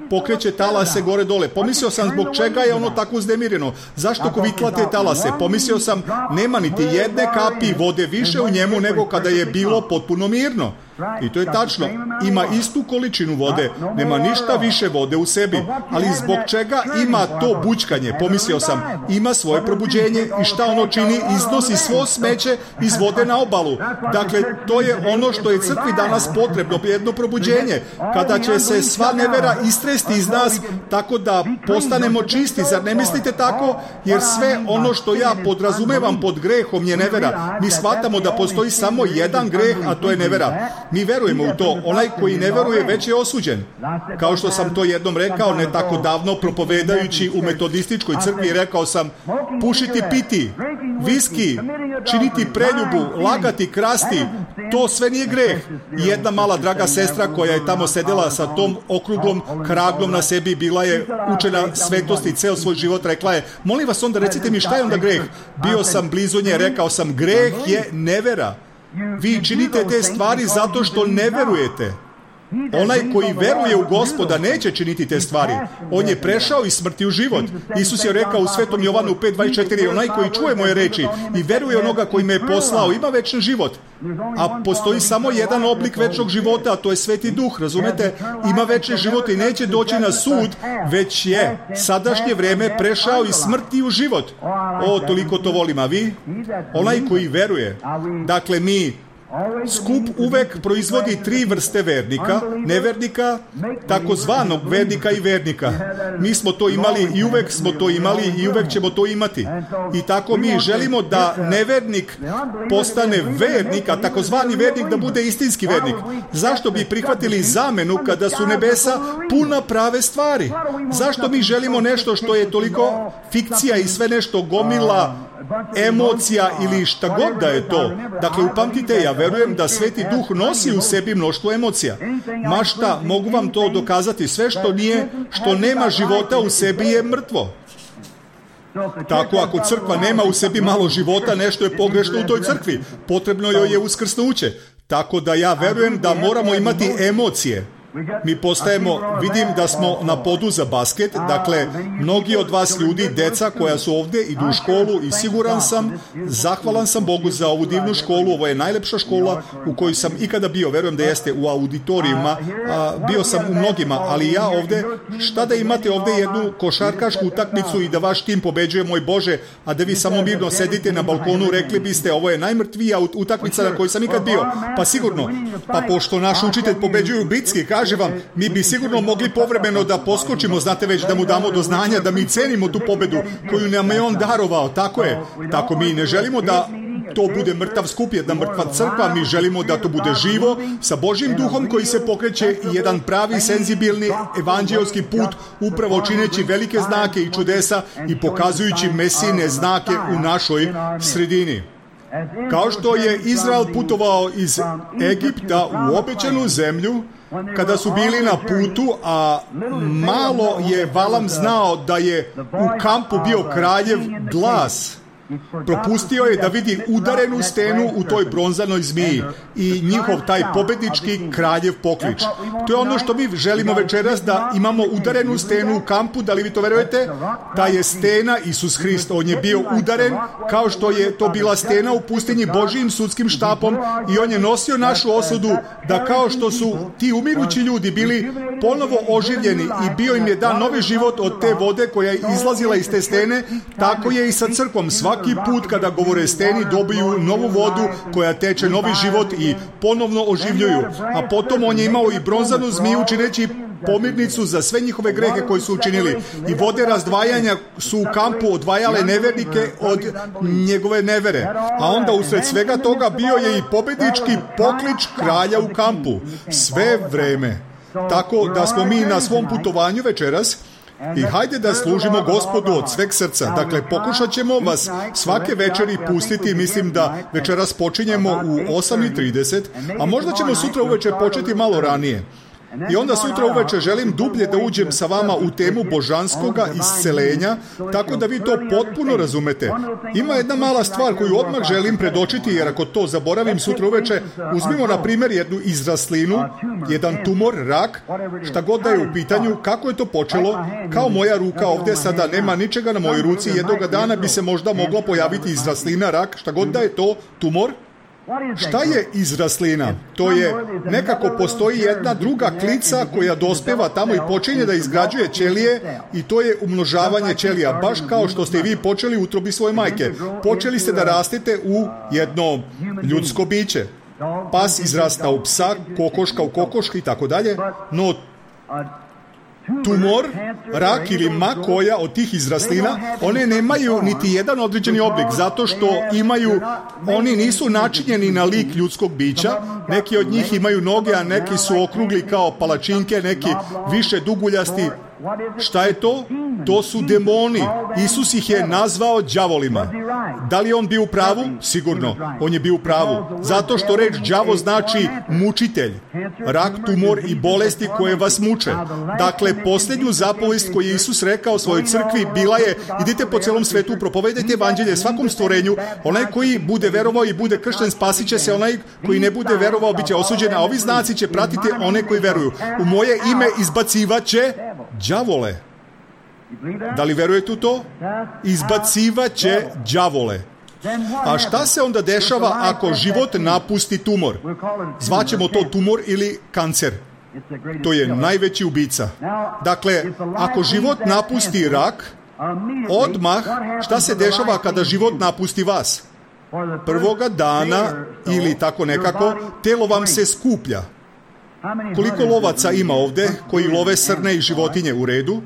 pokreće talase gore dole. Pomislio sam zbog čega je ono tako uznemireno. Zašto kovitla te talase? Pomislio sam nema niti jedne kapi vode više u njemu nego kada je bilo potpuno mirno. I to je tačno. Ima istu količinu vode, nema ništa više vode u sebi. Ali zbog čega ima to bućkanje? Pomislio sam, ima svoje probuđenje i šta ono čini? Iznosi svo smeće iz vode na obalu. Dakle, to je ono što je crkvi danas potrebno, jedno probuđenje. Kada će se sva nevera istresti iz nas, tako da postanemo čisti. Zar ne mislite tako? Jer sve ono što ja podrazumevam pod grehom je nevera. Mi shvatamo da postoji samo jedan greh, a to je nevera. Mi verujemo u to. Onaj koji ne veruje već je osuđen. Kao što sam to jednom rekao, ne tako davno, propovedajući u metodističkoj crkvi, rekao sam, pušiti, piti, viski, činiti preljubu, lagati, krasti, to sve nije greh. I jedna mala draga sestra koja je tamo sedela sa tom okruglom kraglom na sebi, bila je učena svetosti ceo svoj život, rekla je, molim vas onda recite mi šta je onda greh? Bio sam blizu nje, rekao sam, greh je nevera. Vi činite te stvari zato što ne verujete. Onaj koji veruje u Gospoda neće činiti te stvari. On je prešao iz smrti u život. Isus je rekao u Svetom Jovanu pet dvadeset četiri, onaj koji čuje moje reči i veruje onoga koji me je poslao, ima večni život. A postoji samo jedan oblik večnog života, a to je Sveti Duh, razumete? Ima večni život i neće doći na sud, već je sadašnje vreme prešao iz smrti u život. O, toliko to volim, a vi? Onaj koji veruje. Dakle, mi skup uvek proizvodi tri vrste vernika, nevernika, takozvanog vernika i vernika. Mi smo to imali i uvek smo to imali i uvek ćemo to imati. I tako mi želimo da nevernik postane vernik, a takozvani vernik da bude istinski vernik. Zašto bi prihvatili zamenu kada su nebesa puna prave stvari? Zašto mi želimo nešto što je toliko fikcija i sve nešto gomila emocija ili šta god da je to? Dakle, upamtite, ja verujem da Sveti Duh nosi u sebi mnoštvo emocija. Ma šta, mogu vam to dokazati, sve što nije, što nema života u sebi je mrtvo. Tako, ako crkva nema u sebi malo života, nešto je pogrešno u toj crkvi. Potrebno joj je uskrsnuće. Tako da ja verujem da moramo imati emocije. Mi postajemo, vidim da smo na podu za basket, dakle, mnogi od vas ljudi, deca koja su ovdje, idu u školu i siguran sam, zahvalan sam Bogu za ovu divnu školu, ovo je najlepša škola u kojoj sam ikada bio, verujem da jeste u auditorijima, a, bio sam u mnogima, ali ja ovdje, šta da imate ovdje jednu košarkašku utakmicu i da vaš tim pobeđuje, moj Bože, a da vi samo mirno sedite na balkonu, rekli biste, ovo je najmrtvija utakmica na kojoj sam ikad bio, pa sigurno, pa pošto naš učitelj pobeđuje u bitski, kaže vam, mi bi sigurno mogli povremeno da poskočimo, znate već, da mu damo do znanja, da mi cenimo tu pobedu koju nam je on darovao, tako je. Tako mi ne želimo da to bude mrtav skup, jedna mrtva crkva, mi želimo da to bude živo, sa Božjim duhom koji se pokreće i jedan pravi, senzibilni, evanđelski put, upravo čineći velike znake i čudesa i pokazujući mesijne znake u našoj sredini. Kao što je Izrael putovao iz Egipta u obećanu zemlju, kada su bili na putu, a malo je Valam znao da je u kampu bio kraljev Glas. Propustio je da vidi udarenu stenu u toj bronzanoj zmiji i njihov taj pobednički kraljev poklič. To je ono što mi želimo večeras, da imamo udarenu stenu u kampu, da li vi to verujete? Ta je stena Isus Hrist, on je bio udaren kao što je to bila stena u pustinji Božijim sudskim štapom i on je nosio našu osudu, da kao što su ti umirući ljudi bili ponovo oživljeni i bio im je dan novi život od te vode koja je izlazila iz te stene, tako je i sa crkvom. Svaki put kada govore steni dobiju novu vodu koja teče novi život i ponovno oživljuju. A potom on je imao i bronzanu zmiju čineći pomirnicu za sve njihove grehe koji su učinili. I vode razdvajanja su u kampu odvajale nevernike od njegove nevere. A onda usred svega toga bio je i pobednički poklič kralja u kampu. Sve vreme. Tako da smo mi na svom putovanju večeras i hajde da služimo Gospodu od sveg srca. Dakle, pokušat ćemo vas svake večeri pustiti, mislim da večeras počinjemo u osam i trideset, a možda ćemo sutra uveče početi malo ranije. I onda sutra uveče želim dublje da uđem sa vama u temu božanskoga iscelenja, tako da vi to potpuno razumete. Ima jedna mala stvar koju odmah želim predočiti, jer ako to zaboravim sutra uveče, uzmimo na primjer jednu izraslinu, jedan tumor, rak, šta god da je u pitanju, kako je to počelo, kao moja ruka ovdje sada nema ničega na mojoj ruci, jednoga dana bi se možda mogla pojaviti izraslina, rak, šta god da je to, tumor. Šta je izraslina? To je, nekako postoji jedna druga klica koja dospeva tamo i počinje da izgrađuje ćelije i to je umnožavanje ćelija. Baš kao što ste i vi počeli u utrobi svoje majke. Počeli ste da rastete u jedno ljudsko biće. Pas izrasta u psa, kokoška u kokoški i tako dalje, no tumor, rak ili ma koja od tih izraslina, one nemaju niti jedan određeni oblik, zato što imaju, oni nisu načinjeni na lik ljudskog bića, neki od njih imaju noge, a neki su okrugli kao palačinke, neki više duguljasti. Šta je to? To su demoni. Isus ih je nazvao đavolima. Da li je on bio u pravu? Sigurno. On je bio u pravu. Zato što reč đavo znači mučitelj. Rak, tumor i bolesti koje vas muče. Dakle, posljednju zapovest koju je Isus rekao svojoj crkvi bila je: idite po celom svetu, propovedajte evanđelje svakom stvorenju. Onaj koji bude verovao i bude kršten, spasit će se. Onaj koji ne bude verovao biće osuđen, a ovi znaci će pratiti one koji veruju. U moje ime izbacivaće đavole. Da li verujete u to? Izbacivaće đavole. A šta se onda dešava ako život napusti tumor? Zvaćemo to tumor ili kancer. To je najveći ubica. Dakle, ako život napusti rak, odmah šta se dešava kada život napusti vas? Prvoga dana ili tako nekako, telo vam se skuplja. Koliko lovaca ima ovde koji love srne i životinje? U redu.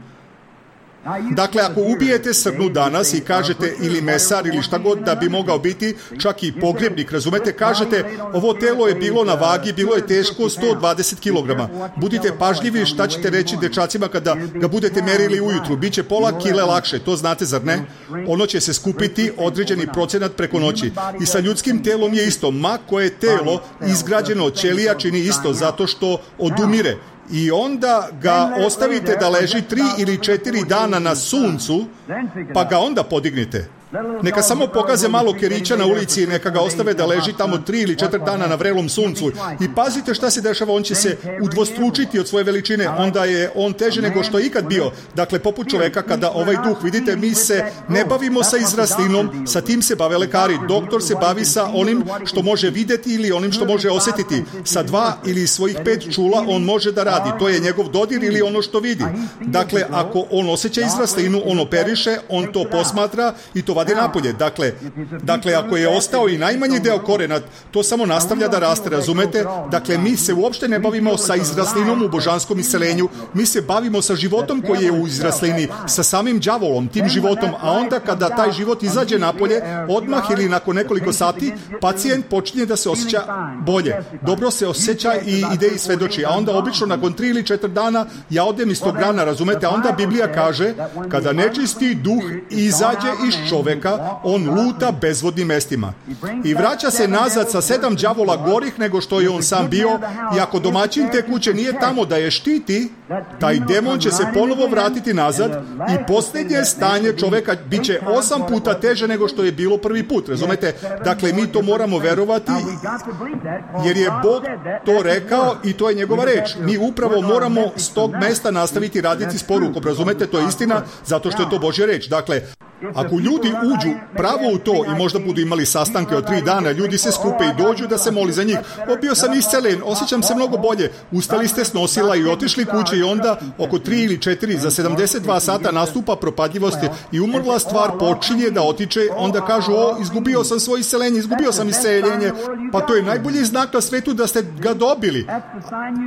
Dakle, ako ubijete srnu danas i kažete, ili mesar ili šta god da bi mogao biti, čak i pogrebnik, razumete, kažete, ovo telo je bilo na vagi, bilo je teško sto dvadeset kilograma. Budite pažljivi šta ćete reći dečacima kada ga budete merili ujutru. Biće pola kile lakše, to znate, zar ne? Ono će se skupiti određeni procenat preko noći. I sa ljudskim telom je isto. Ma koje telo izgrađeno od ćelija čini isto, zato što odumire. I onda ga ostavite da leži tri ili četiri dana na suncu, pa ga onda podignite. Neka samo pokaze malo kerića na ulici i neka ga ostave da leži tamo tri ili četiri dana na vrelom suncu. I pazite šta se dešava, on će se udvostručiti od svoje veličine, onda je on teže nego što je ikad bio. Dakle, poput čoveka kada ovaj duh, vidite, mi se ne bavimo sa izraslinom, sa tim se bave lekari. Doktor se bavi sa onim što može videti ili onim što može osjetiti. Sa dva ili svojih pet čula on može da radi. To je njegov dodir ili ono što vidi. Dakle, ako on osjeća izraslinu, on operiše, on to posmatra i to vadi napolje. Dakle, dakle, ako je ostao i najmanji deo korena, to samo nastavlja da raste, razumete? Dakle, mi se uopšte ne bavimo sa izraslinom u božanskom isceljenju, mi se bavimo sa životom koji je u izraslini, sa samim đavolom, tim životom, a onda kada taj život izađe napolje, odmah ili nakon nekoliko sati, pacijent počinje da se osjeća bolje. Dobro se osjeća i ide i svedoči, a onda obično nakon tri ili četiri dana ja odem iz tog rana, razumete? A onda Biblija kaže, kada nečisti duh izađe iz čoveka, on luta bezvodnim mestima. I vraća se nazad sa sedam đavola gorih nego što je on sam bio, i ako domaćin te kuće nije tamo da je štiti, taj demon će se ponovo vratiti nazad i posljednje stanje čoveka bit će osam puta teže nego što je bilo prvi put, razumete? Dakle, mi to moramo verovati, jer je Bog to rekao i to je njegova reč. Mi upravo moramo s tog mesta nastaviti raditi s porukom, razumete? To je istina, zato što je to Božja reč. Dakle, ako ljudi uđu pravo u to i možda budu imali sastanke od tri dana, ljudi se skupe i dođu da se moli za njih. O, bio sam iscelen, osjećam se mnogo bolje. Ustali ste s nosila i otišli kuće i onda oko tri ili četiri za sedamdeset dva sata nastupa propadljivost i umrla stvar počinje da otiče, onda kažu, o, izgubio sam svoje iscelenje, izgubio sam isceljenje. Pa to je najbolji znak na svetu da ste ga dobili.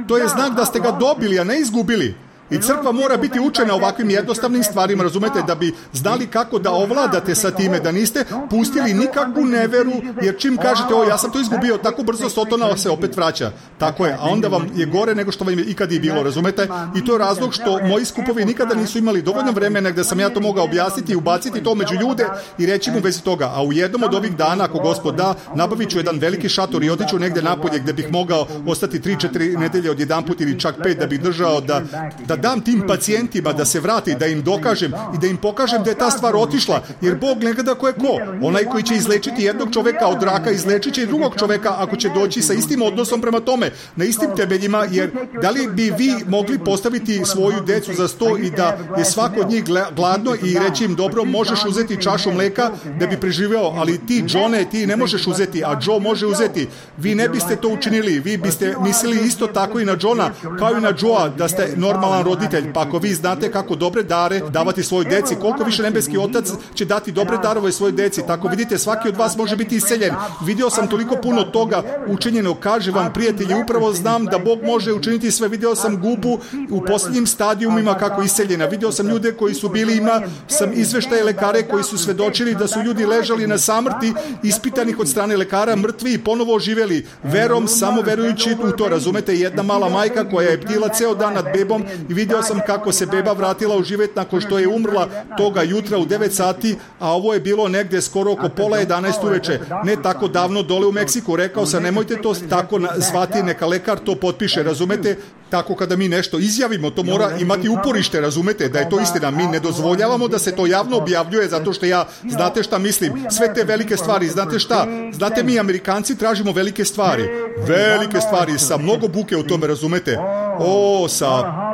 To je znak da ste ga dobili, a ne izgubili. I crkva mora biti učena ovakvim jednostavnim stvarima, razumete, da bi znali kako da ovladate sa time, da niste pustili nikakvu neveru, jer čim kažete, o, ja sam to izgubio, tako brzo Sotona se opet vraća. Tako je, a onda vam je gore nego što vam je ikad i bilo, razumete? I to je razlog što moji skupovi nikada nisu imali dovoljno vremena gde sam ja to mogao objasniti i ubaciti to među ljude i reći mu vezi toga. A u jednom od ovih dana, ako Gospod da, nabavit ću jedan veliki šator i otiću negde napolje gde bih mogao ostati tri četiri nedelje od jedan put ili čak pet da bih držao da, da dam tim pacijentima da se vrati, da im dokažem i da im pokažem da je ta stvar otišla, jer Bog ne gleda ko je ko. Onaj koji će izlečiti jednog čoveka od raka, izlečit će i drugog čoveka ako će doći sa istim odnosom prema tome, na istim temeljima, jer da li bi vi mogli postaviti svoju decu za sto i da je svako od njih gladno i reći im, dobro, možeš uzeti čašu mleka da bi preživeo, ali ti, Johne, ti ne možeš uzeti, a Joe može uzeti. Vi ne biste to učinili, vi biste mislili isto tako i na Johna, kao i na Joea, da ste normalan roditelj, pa ako vi znate kako dobre dare davati svojoj deci, koliko više nebeski otac će dati dobre darove svojoj deci, tako vidite, svaki od vas može biti isceljen. Vidio sam toliko puno toga učinjeno, kaže vam, prijatelji, upravo znam da Bog može učiniti sve. Vidio sam Gubu u posljednjim stadijumima kako isceljena, vidio sam ljude koji su bili, ima sam izveštaje lekare koji su svedočili da su ljudi ležali na samrti, ispitanih od strane lekara, mrtvi i ponovo oživeli, verom, samo verujući u to, razumete, jedna mala majka koja je ptila ceo dan nad bebom i vidio sam kako se beba vratila u život nakon što je umrla toga jutra u devet sati, a ovo je bilo negde skoro oko pola jedanaest uveče, ne tako davno dole u Meksiku. Rekao sam, nemojte to tako zvati, neka lekar to potpiše, razumete, tako kada mi nešto izjavimo, to mora imati uporište, razumete, da je to istina. Mi ne dozvoljavamo da se to javno objavljuje, zato što ja, znate šta mislim, sve te velike stvari, znate šta, znate, mi Amerikanci tražimo velike stvari, velike stvari, sa mnogo buke u tome, razumete, o, sa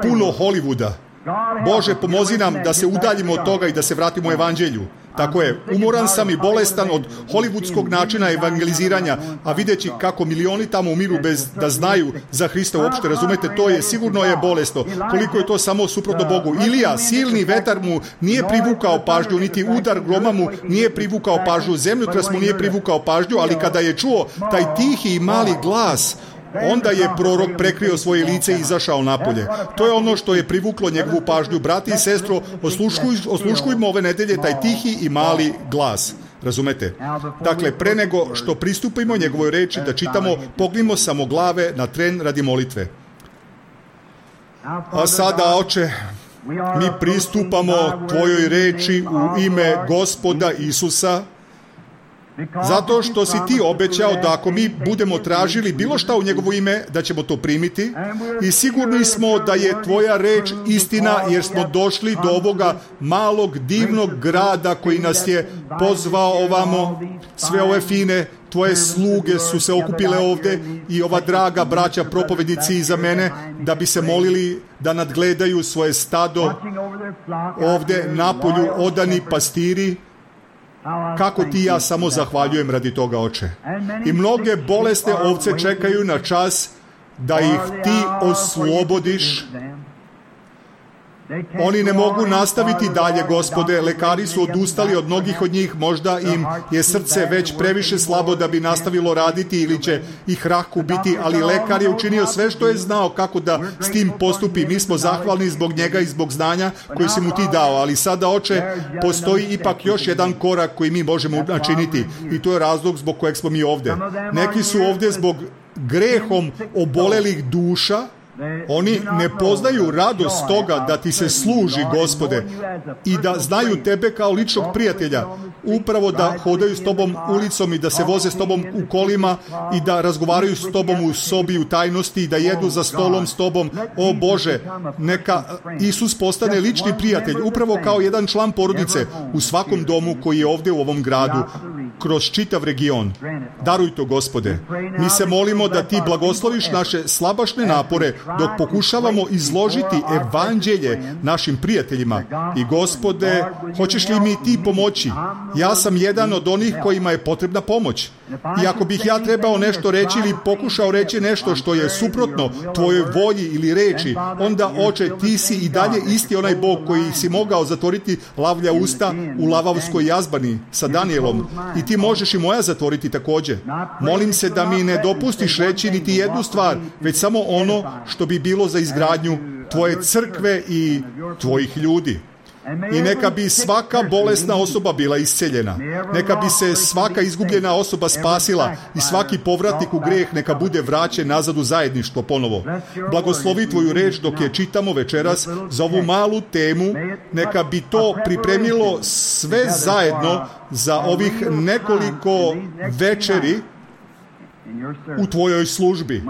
puno Hollywooda. Bože, pomozi nam da se udaljimo od toga i da se vratimo evanđelju. Tako je, umoran sam i bolestan od hollywoodskog načina evangeliziranja, a videći kako milioni tamo umiru bez da znaju za Hrista uopšte, razumete, to je sigurno je bolesno. Koliko je to samo suprotno Bogu. Ilija, silni vetar mu nije privukao pažnju, niti udar groma mu nije privukao pažnju, zemljotras mu nije privukao pažnju, ali kada je čuo taj tihi i mali glas, onda je prorok prekrio svoje lice i izašao napolje. To je ono što je privuklo njegovu pažnju. Brati i sestro, osluškuj, osluškujmo ove nedelje taj tihi i mali glas. Razumete? Dakle, pre nego što pristupimo njegovoj reči da čitamo, pognimo samo glave na tren radi molitve. A sada, Oče, mi pristupamo tvojoj reči u ime Gospoda Isusa, zato što si ti obećao da ako mi budemo tražili bilo šta u njegovo ime, da ćemo to primiti, i sigurni smo da je tvoja reč istina, jer smo došli do ovoga malog divnog grada koji nas je pozvao ovamo. Sve ove fine tvoje sluge su se okupile ovde i ova draga braća propovednici iza mene da bi se molili da nadgledaju svoje stado ovde napolju, odani pastiri. Kako ti ja samo zahvaljujem radi toga, Oče. I mnoge bolesne ovce čekaju na čas da ih ti oslobodiš. Oni ne mogu nastaviti dalje, Gospode. Lekari su odustali od mnogih od njih. Možda im je srce već previše slabo da bi nastavilo raditi ili će ih rak ubiti, ali lekar je učinio sve što je znao kako da s tim postupi. Mi smo zahvalni zbog njega i zbog znanja koji si mu ti dao. Ali sada, Oče, postoji ipak još jedan korak koji mi možemo načiniti i to je razlog zbog kojeg smo mi ovde. Neki su ovde zbog grehom obolelih duša. Oni ne poznaju radost toga da ti se služi, Gospode, i da znaju tebe kao ličnog prijatelja, upravo da hodaju s tobom ulicom i da se voze s tobom u kolima i da razgovaraju s tobom u sobi u tajnosti i da jedu za stolom s tobom. O Bože, neka Isus postane lični prijatelj, upravo kao jedan član porodice u svakom domu koji je ovde u ovom gradu, kroz čitav region. Daruj to, Gospode. Mi se molimo da ti blagosloviš naše slabašne napore dok pokušavamo izložiti evanđelje našim prijateljima. I, Gospode, hoćeš li mi ti pomoći? Ja sam jedan od onih kojima je potrebna pomoć. I ako bih ja trebao nešto reći ili pokušao reći nešto što je suprotno tvojoj volji ili reči, onda, Oče, ti si i dalje isti onaj Bog koji si mogao zatvoriti lavlja usta u lavavskoj jazbani sa Danijelom. I ti možeš i moja zatvoriti takođe. Molim se da mi ne dopustiš reći niti jednu stvar, već samo ono što bi bilo za izgradnju tvoje crkve i tvojih ljudi. I neka bi svaka bolesna osoba bila isceljena. Neka bi se svaka izgubljena osoba spasila i svaki povratnik u greh neka bude vraćen nazad u zajedništvo ponovo. Blagoslovi tvoju reč dok je čitamo večeras za ovu malu temu. Neka bi to pripremilo sve zajedno za ovih nekoliko večeri u tvojoj službi.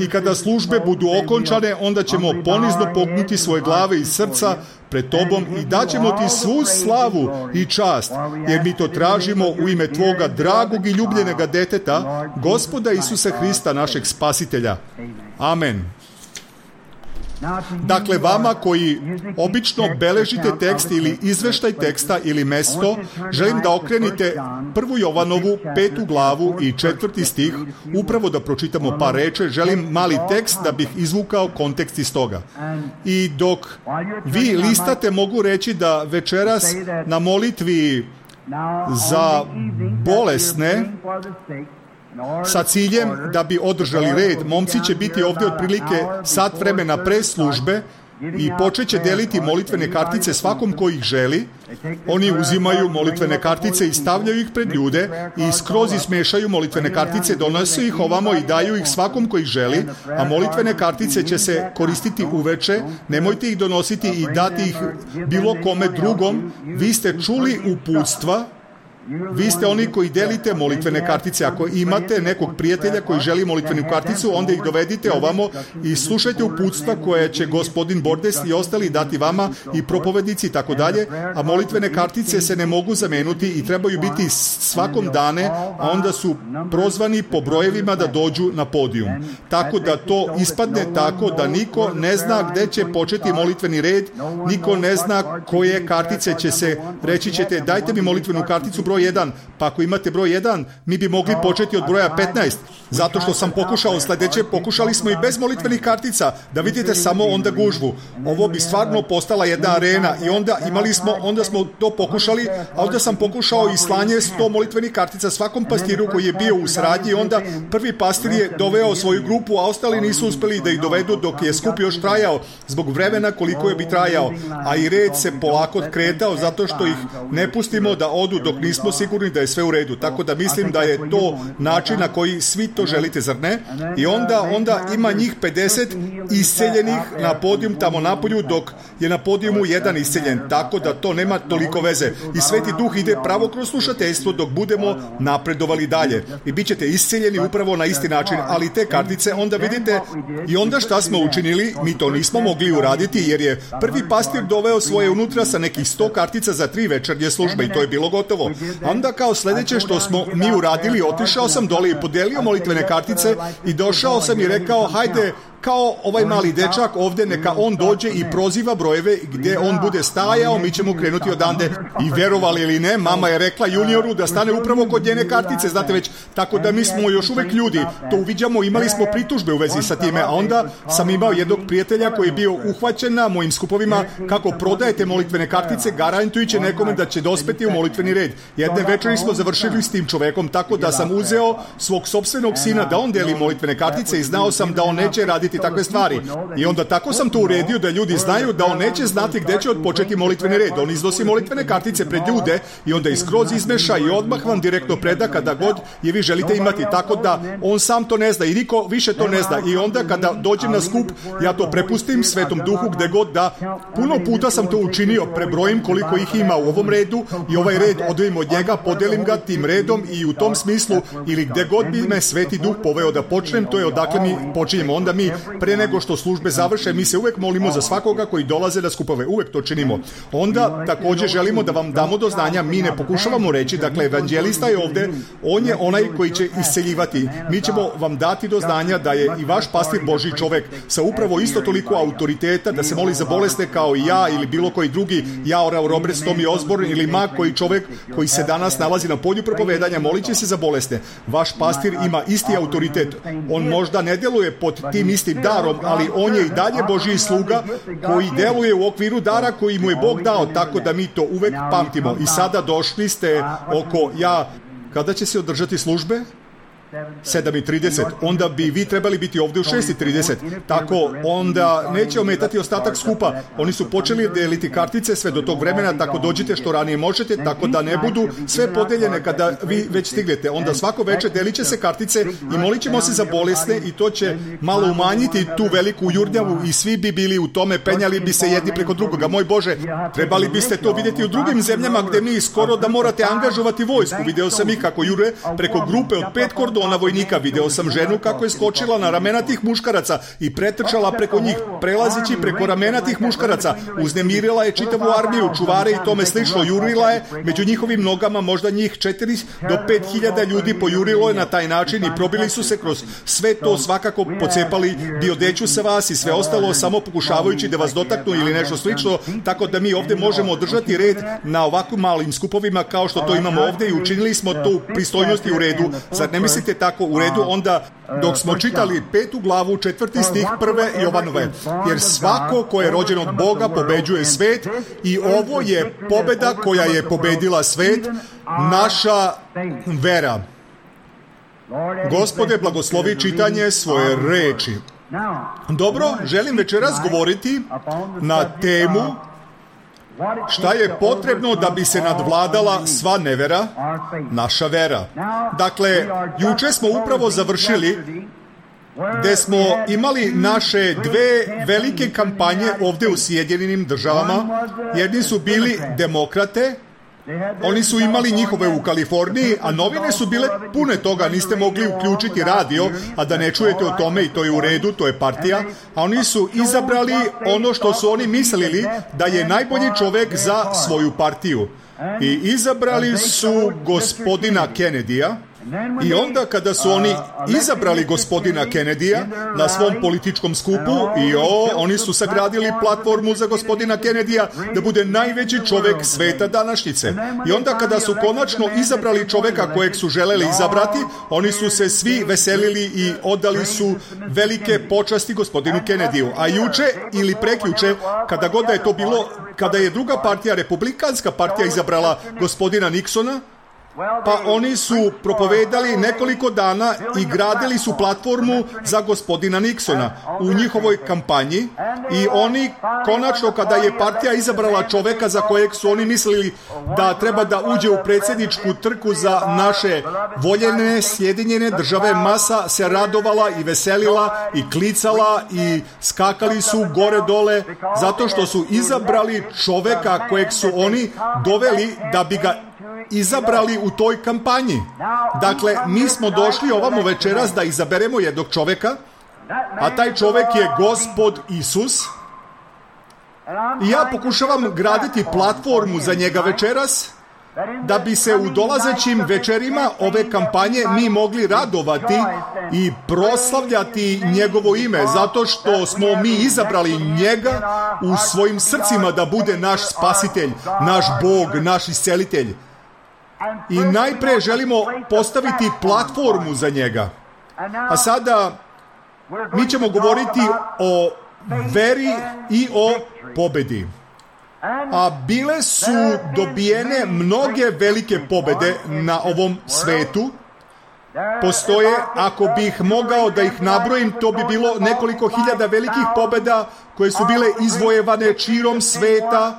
I kada službe budu okončane, onda ćemo ponizno pognuti svoje glave i srca pred tobom i daćemo ti svu slavu i čast, jer mi to tražimo u ime tvoga dragog i ljubljenega deteta, Gospoda Isusa Hrista, našeg Spasitelja. Amen. Dakle, vama koji obično beležite tekst ili izveštaj teksta ili mesto, želim da okrenite prvu Jovanovu petu glavu i četvrti stih, upravo da pročitamo par reče. Želim mali tekst da bih izvukao kontekst iz toga. I dok vi listate, mogu reći da večeras na molitvi za bolesne, sa ciljem da bi održali red, momci će biti ovdje otprilike sat vremena pre službe i počet će deliti molitvene kartice svakom ko ih želi. Oni uzimaju molitvene kartice i stavljaju ih pred ljude i skroz ismešaju molitvene kartice, donose ih ovamo i daju ih svakom ko ih želi, a molitvene kartice će se koristiti uveče. Nemojte ih donositi i dati ih bilo kome drugom. Vi ste čuli uputstva. Vi ste oni koji delite molitvene kartice. Ako imate nekog prijatelja koji želi molitvenu karticu, onda ih dovedite ovamo i slušajte uputstva koje će gospodin Bordes i ostali dati vama i propovednici i tako dalje, a molitvene kartice se ne mogu zameniti i trebaju biti svakom dane, a onda su prozvani po brojevima da dođu na podijum. Tako da to ispadne tako da niko ne zna gde će početi molitveni red, niko ne zna koje kartice će se, reći ćete dajte mi molitvenu karticu broj jedan, pa ako imate broj jedan, mi bi mogli početi od broja petnaest, zato što sam pokušao sledeće, pokušali smo i bez molitvenih kartica, da vidite samo onda gužvu. Ovo bi stvarno postala jedna arena i onda imali smo, onda smo to pokušali, a onda sam pokušao i slanje sto molitvenih kartica svakom pastiru koji je bio u saradnji i onda prvi pastir je doveo svoju grupu, a ostali nisu uspeli da ih dovedu dok je skup još trajao, zbog vremena koliko je bi trajao, a i red se polako kretao zato što ih ne pustimo da odu dok nismo sigurni da je sve u redu. Tako da mislim da je to način na koji svi to želite, zar ne? I onda, onda ima njih pedeset isceljenih na podijum tamo napolju, dok je na podijumu jedan isceljen. Tako da to nema toliko veze. I Sveti Duh ide pravo kroz slušateljstvo dok budemo napredovali dalje. I bit ćete isceljeni upravo na isti način. Ali te kartice, onda vidite, i onda šta smo učinili? Mi to nismo mogli uraditi jer je prvi pastir doveo svoje unutra sa nekih sto kartica za tri večernje službe i to je bilo gotovo. Onda kao sljedeće što smo mi uradili, otišao sam dole i podelio molitvene kartice i došao sam i rekao, hajde, kao ovaj mali dečak ovdje, neka on dođe i proziva brojeve gdje on bude stajao, mi ćemo krenuti odande. I verovali ili ne, mama je rekla junioru da stane upravo kod njene kartice, znate već, tako da mi smo još uvek ljudi, to uviđamo, imali smo pritužbe u vezi sa time, a onda sam imao jednog prijatelja koji je bio uhvaćen na mojim skupovima kako prodajete molitvene kartice, garantujući nekome da će dospeti u molitveni red. Jedne večeri smo završili s tim čovekom, tako da sam uzeo svog sopstvenog sina da on deli molitvene kartice i znao sam da on neće raditi takve stvari. I onda tako sam to uredio da ljudi znaju da on neće znati gde će odpočeti molitveni red. On iznosi molitvene kartice pred ljude i onda iskroz izmeša i odmah vam direktno preda kada god je vi želite imati. Tako da on sam to ne zna i niko više to ne zna. I onda kada dođem na skup, ja to prepustim Svetom Duhu gde god da. Puno puta sam to učinio, prebrojim koliko ih ima u ovom redu i ovaj red odvojim od njega, podelim ga tim redom i u tom smislu ili gde god bi me Sveti Duh poveo da počnem, to je odakle mi počinjemo. Onda mi pre nego što službe završe, mi se uvek molimo za svakoga koji dolaze na skupove, uvek to činimo. Onda također želimo da vam damo do znanja, mi ne pokušavamo reći, dakle evanđelista je ovde, on je onaj koji će isceljivati. Mi ćemo vam dati do znanja da je i vaš pastir Božji čovek sa upravo isto toliko autoriteta da se moli za bolesne kao i ja ili bilo koji drugi, ja, Oral Roberts, Tommy Osborne ili ma koji čovek koji se danas nalazi na polju propovedanja, molit će se za bolesne. Vaš pastir ima isti autoritet. On možda ne deluje pod tim istim darom, ali on je i dalje Božji sluga koji deluje u okviru dara koji mu je Bog dao, tako da mi to uvek pamtimo. I sada došli ste oko, ja, kada će se održati službe? sedam i trideset, onda bi vi trebali biti ovdje u šest i trideset, tako onda neće ometati ostatak skupa. Oni su počeli deliti kartice sve do tog vremena, tako dođite što ranije možete, tako da ne budu sve podeljene kada vi već stignete. Onda svako večer delit će se kartice i molit ćemo se za bolesne i to će malo umanjiti tu veliku jurnjavu i svi bi bili u tome, penjali bi se jedni preko drugoga. Moj Bože, trebali biste to vidjeti u drugim zemljama gde mi skoro da morate angažovati vojsku. Video sam ih kako jure preko grupe od pet kordona tona vojnika. Video sam ženu kako je skočila na ramena tih muškaraca i pretrčala preko njih, prelazići preko ramena tih muškaraca. Uznemirila je čitavu armiju, čuvare i tome slično. Jurila je među njihovim nogama, možda njih četiri do pet hiljada ljudi pojurilo je na taj način i probili su se kroz sve to, svakako pocepali diodeću sa vas i sve ostalo, samo pokušavajući da vas dotaknu ili nešto slično, tako da mi ovdje možemo održati red na ovakvim malim skupovima kao što to imamo ovdje i učinili smo to u pristojnosti u redu. Zar ne mislite tako u redu? Onda dok smo čitali petu glavu, četvrti stih prve Jovanove, jer svako ko je rođen od Boga pobeđuje svet i ovo je pobeda koja je pobedila svet, naša vera. Gospode, blagoslovi čitanje svoje reči. Dobro, želim večeras govoriti na temu šta je potrebno da bi se nadvladala sva nevera, naša vera. Dakle, juče smo upravo završili gde smo imali naše dve velike kampanje ovdje u Sjedinjenim državama. Jedni su bili demokrate, oni su imali njihove u Kaliforniji, a novine su bile pune toga, niste mogli uključiti radio, a da ne čujete o tome i to je u redu, to je partija, a oni su izabrali ono što su oni mislili da je najbolji čovjek za svoju partiju. I izabrali su gospodina Kennedyja. I onda kada su oni izabrali gospodina Kennedyja na svom političkom skupu, i o, oni su sagradili platformu za gospodina Kennedyja da bude najveći čovjek sveta današnjice. I onda kada su konačno izabrali čovjeka kojeg su želeli izabrati, oni su se svi veselili i odali su velike počasti gospodinu Kennedyju. A juče ili prekjuče, kada god da je to bilo, kada je druga partija, republikanska partija, izabrala gospodina Nixona, pa oni su propovedali nekoliko dana i gradili su platformu za gospodina Nixona u njihovoj kampanji i oni konačno kada je partija izabrala čoveka za kojeg su oni mislili da treba da uđe u predsjedničku trku za naše voljene Sjedinjene države, masa se radovala i veselila i klicala i skakali su gore dole zato što su izabrali čoveka kojeg su oni doveli da bi ga izabrali u toj kampanji. Dakle, mi smo došli ovamo večeras da izaberemo jednog čoveka, a taj čovek je Gospod Isus. I ja pokušavam graditi platformu za njega večeras, da bi se u dolazećim večerima ove kampanje mi mogli radovati i proslavljati njegovo ime, zato što smo mi izabrali njega u svojim srcima da bude naš spasitelj, naš Bog, naš iscelitelj. I najpre želimo postaviti platformu za njega. A sada mi ćemo govoriti o veri i o pobedi. A bile su dobijene mnoge velike pobede na ovom svetu. Postoje, ako bih mogao da ih nabrojim, to bi bilo nekoliko hiljada velikih pobeda koje su bile izvojevane širom sveta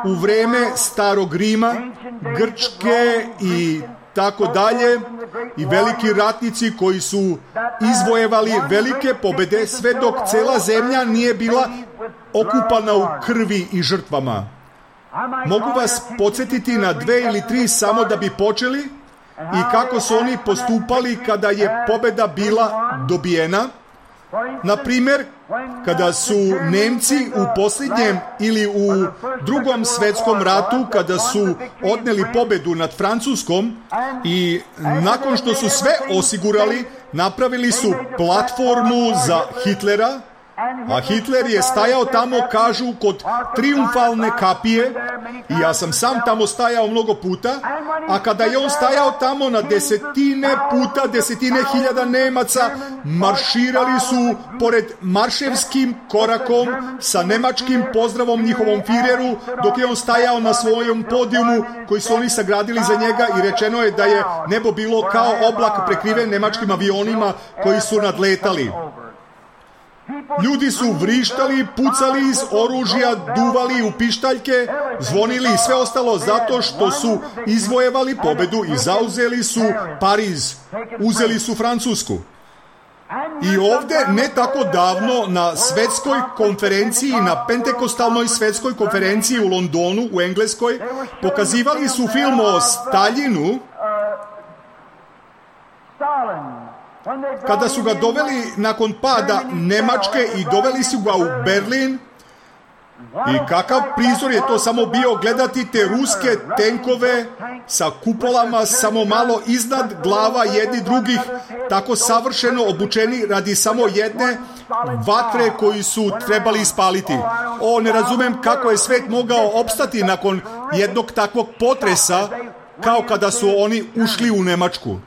u vreme Starog Rima, Grčke i tako dalje, i veliki ratnici koji su izvojevali velike pobede sve dok cela zemlja nije bila okupana u krvi i žrtvama. Mogu vas podsjetiti na dve ili tri samo da bi počeli i kako su oni postupali kada je pobeda bila dobijena. Na primjer, kada su Nemci u posljednjem ili u drugom svjetskom ratu, kada su odneli pobedu nad Francuskom i nakon što su sve osigurali, napravili su platformu za Hitlera, a Hitler je stajao tamo, kažu, kod triumfalne kapije, i ja sam sam tamo stajao mnogo puta, a kada je on stajao tamo, na desetine puta, desetine hiljada Nemaca marširali su pored marševskim korakom sa nemačkim pozdravom njihovom Fireru, dok je on stajao na svojom podijumu koji su oni sagradili za njega, i rečeno je da je nebo bilo kao oblak prekriven nemačkim avionima koji su nadletali. Ljudi su vrištali, pucali iz oružja, duvali u pištaljke, zvonili i sve ostalo zato što su izvojevali pobedu i zauzeli su Pariz, uzeli su Francusku. I ovdje, ne tako davno, na svetskoj konferenciji, na pentekostalnoj svetskoj konferenciji u Londonu, u Engleskoj, pokazivali su film o Staljinu, kada su ga doveli nakon pada Nemačke i doveli su ga u Berlin, i kakav prizor je to samo bio gledati te ruske tenkove sa kupolama samo malo iznad glava jedni drugih, tako savršeno obučeni radi samo jedne vatre koju su trebali ispaliti. O, ne razumem kako je svet mogao opstati nakon jednog takvog potresa kao kada su oni ušli u Nemačku.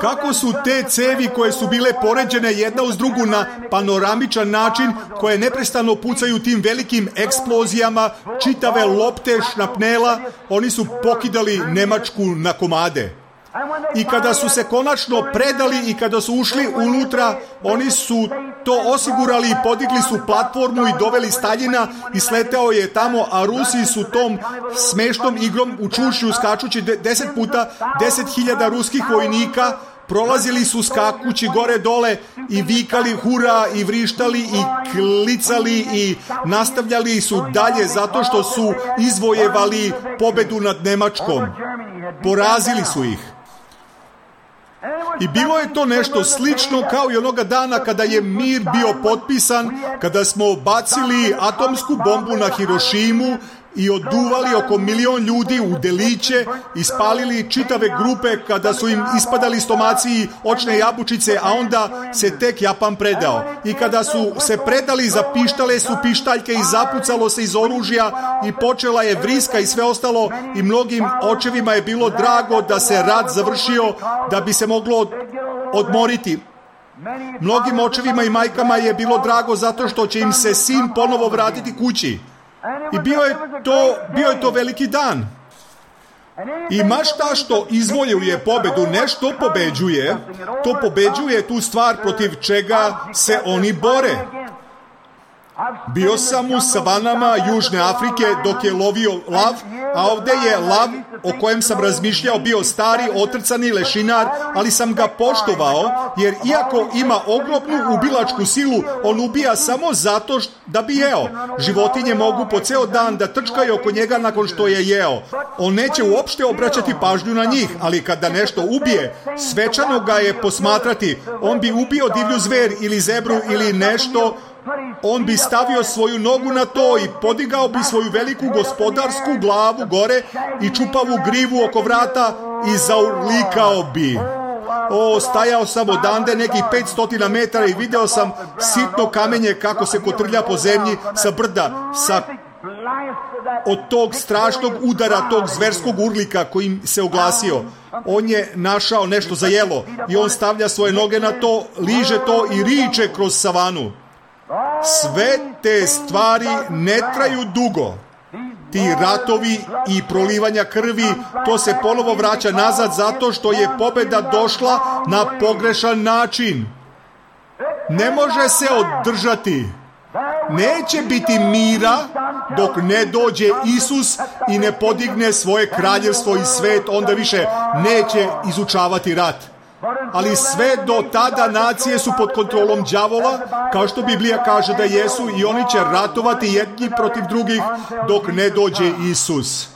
Kako su te cevi koje su bile poređene jedna uz drugu na panoramičan način, koje neprestano pucaju tim velikim eksplozijama, čitave lopte šnapnela, oni su pokidali Nemačku na komade. I kada su se konačno predali i kada su ušli unutra, oni su to osigurali i podigli su platformu i doveli Staljina i sletao je tamo, a Rusi su tom smešnom igrom u čušju skačući deset puta, deset hiljada ruskih vojnika prolazili su skakući gore dole i vikali hura i vrištali i klicali i nastavljali su dalje zato što su izvojevali pobedu nad Nemačkom. Porazili su ih. I bilo je to nešto slično kao i onoga dana kada je mir bio potpisan, kada smo bacili atomsku bombu na Hirošimu i oduvali oko milion ljudi u deliće i spalili čitave grupe kada su im ispadali stomaci i očne jabučice, a onda se tek Japan predao. I kada su se predali, zapištale su pištaljke i zapucalo se iz oružja i počela je vriska i sve ostalo, i mnogim očevima je bilo drago da se rat završio, da bi se moglo odmoriti. Mnogim očevima i majkama je bilo drago zato što će im se sin ponovo vratiti kući. I bio je to, bio je to veliki dan. I ma šta što izvojuje pobedu, nešto pobeđuje, to pobeđuje tu stvar protiv čega se oni bore. Bio sam u savanama Južne Afrike dok je lovio lav, a ovdje je lav o kojem sam razmišljao bio stari, otrcani lešinar, ali sam ga poštovao, jer iako ima ogromnu ubilačku silu, on ubija samo zato da bi jeo. Životinje mogu po ceo dan da trčkaju oko njega nakon što je jeo. On neće uopšte obraćati pažnju na njih, ali kada nešto ubije, svečano ga je posmatrati. On bi ubio divlju zver ili zebru ili nešto, on bi stavio svoju nogu na to i podigao bi svoju veliku gospodarsku glavu gore i čupavu grivu oko vrata i zaurlikao bi. O, stajao sam odande nekih petsto metara i video sam sitno kamenje kako se kotrlja po zemlji sa brda, sa od tog strašnog udara, tog zverskog urlika kojim se oglasio. On je našao nešto za jelo i on stavlja svoje noge na to, liže to i riče kroz savanu. Sve te stvari ne traju dugo. Ti ratovi i prolivanja krvi, to se ponovo vraća nazad zato što je pobeda došla na pogrešan način. Ne može se održati. Neće biti mira dok ne dođe Isus i ne podigne svoje kraljevstvo i svet, onda više neće izučavati rat. Ali sve do tada nacije su pod kontrolom đavola, kao što Biblija kaže da jesu, i oni će ratovati jedni protiv drugih dok ne dođe Isus.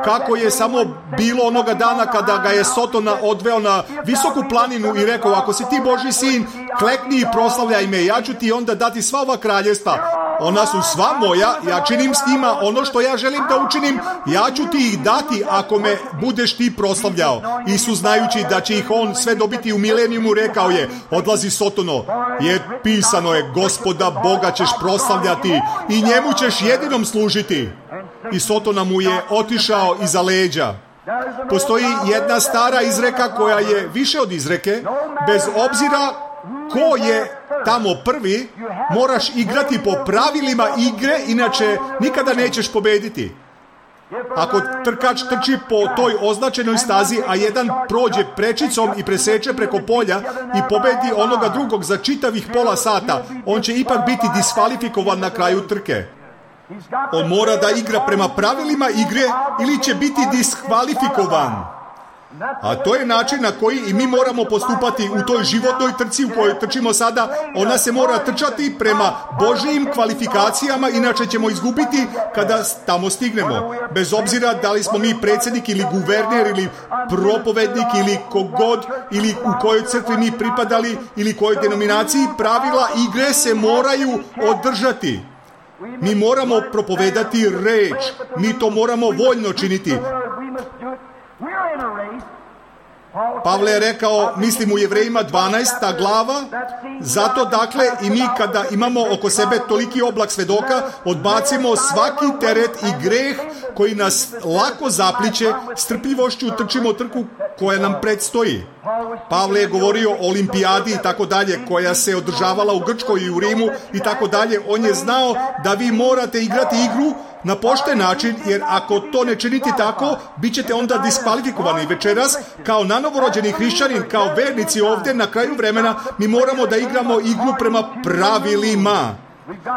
Kako je samo bilo onoga dana kada ga je Sotona odveo na visoku planinu i rekao: ako si ti Božji sin, klekni i proslavljaj me, ja ću ti onda dati sva ova kraljevstva. Ona su sva moja, ja činim s njima ono što ja želim da učinim, ja ću ti ih dati ako me budeš ti proslavljao. Isus, znajući da će ih on sve dobiti u milenijumu, rekao je: odlazi Sotono, jer pisano je, Gospoda Boga ćeš proslavljati i njemu ćeš jedinom služiti. I Sotona mu je otišao iza leđa. Postoji jedna stara izreka koja je više od izreke. Bez obzira ko je tamo prvi, moraš igrati po pravilima igre, inače nikada nećeš pobediti. Ako trkač trči po toj označenoj stazi, a jedan prođe prečicom i preseče preko polja i pobedi onoga drugog za čitavih pola sata, on će ipak biti diskvalifikovan na kraju trke. On mora da igra prema pravilima igre ili će biti diskvalifikovan. A to je način na koji i mi moramo postupati u toj životnoj trci u kojoj trčimo sada. Ona se mora trčati prema Božijim kvalifikacijama, inače ćemo izgubiti kada tamo stignemo. Bez obzira da li smo mi predsjednik ili guverner ili propovednik ili kogod ili u kojoj crkvi mi pripadali ili kojoj denominaciji, pravila igre se moraju održati. Mi moramo propovedati reč. Mi to moramo voljno činiti. Pavle je rekao, mislim u Jevrejima dvanaesta glava, zato dakle i mi kada imamo oko sebe toliki oblak svedoka, odbacimo svaki teret i greh koji nas lako zapliće, strpljivošću trčimo trku koja nam predstoji. Pavle je govorio o olimpijadi i tako dalje, koja se održavala u Grčkoj i u Rimu i tako dalje. On je znao da vi morate igrati igru na pošten način, jer ako to ne činite tako, bit ćete onda diskvalifikovani. Večeras, kao nanovorođeni hrišćanin, kao vernici ovdje na kraju vremena, mi moramo da igramo igru prema pravilima.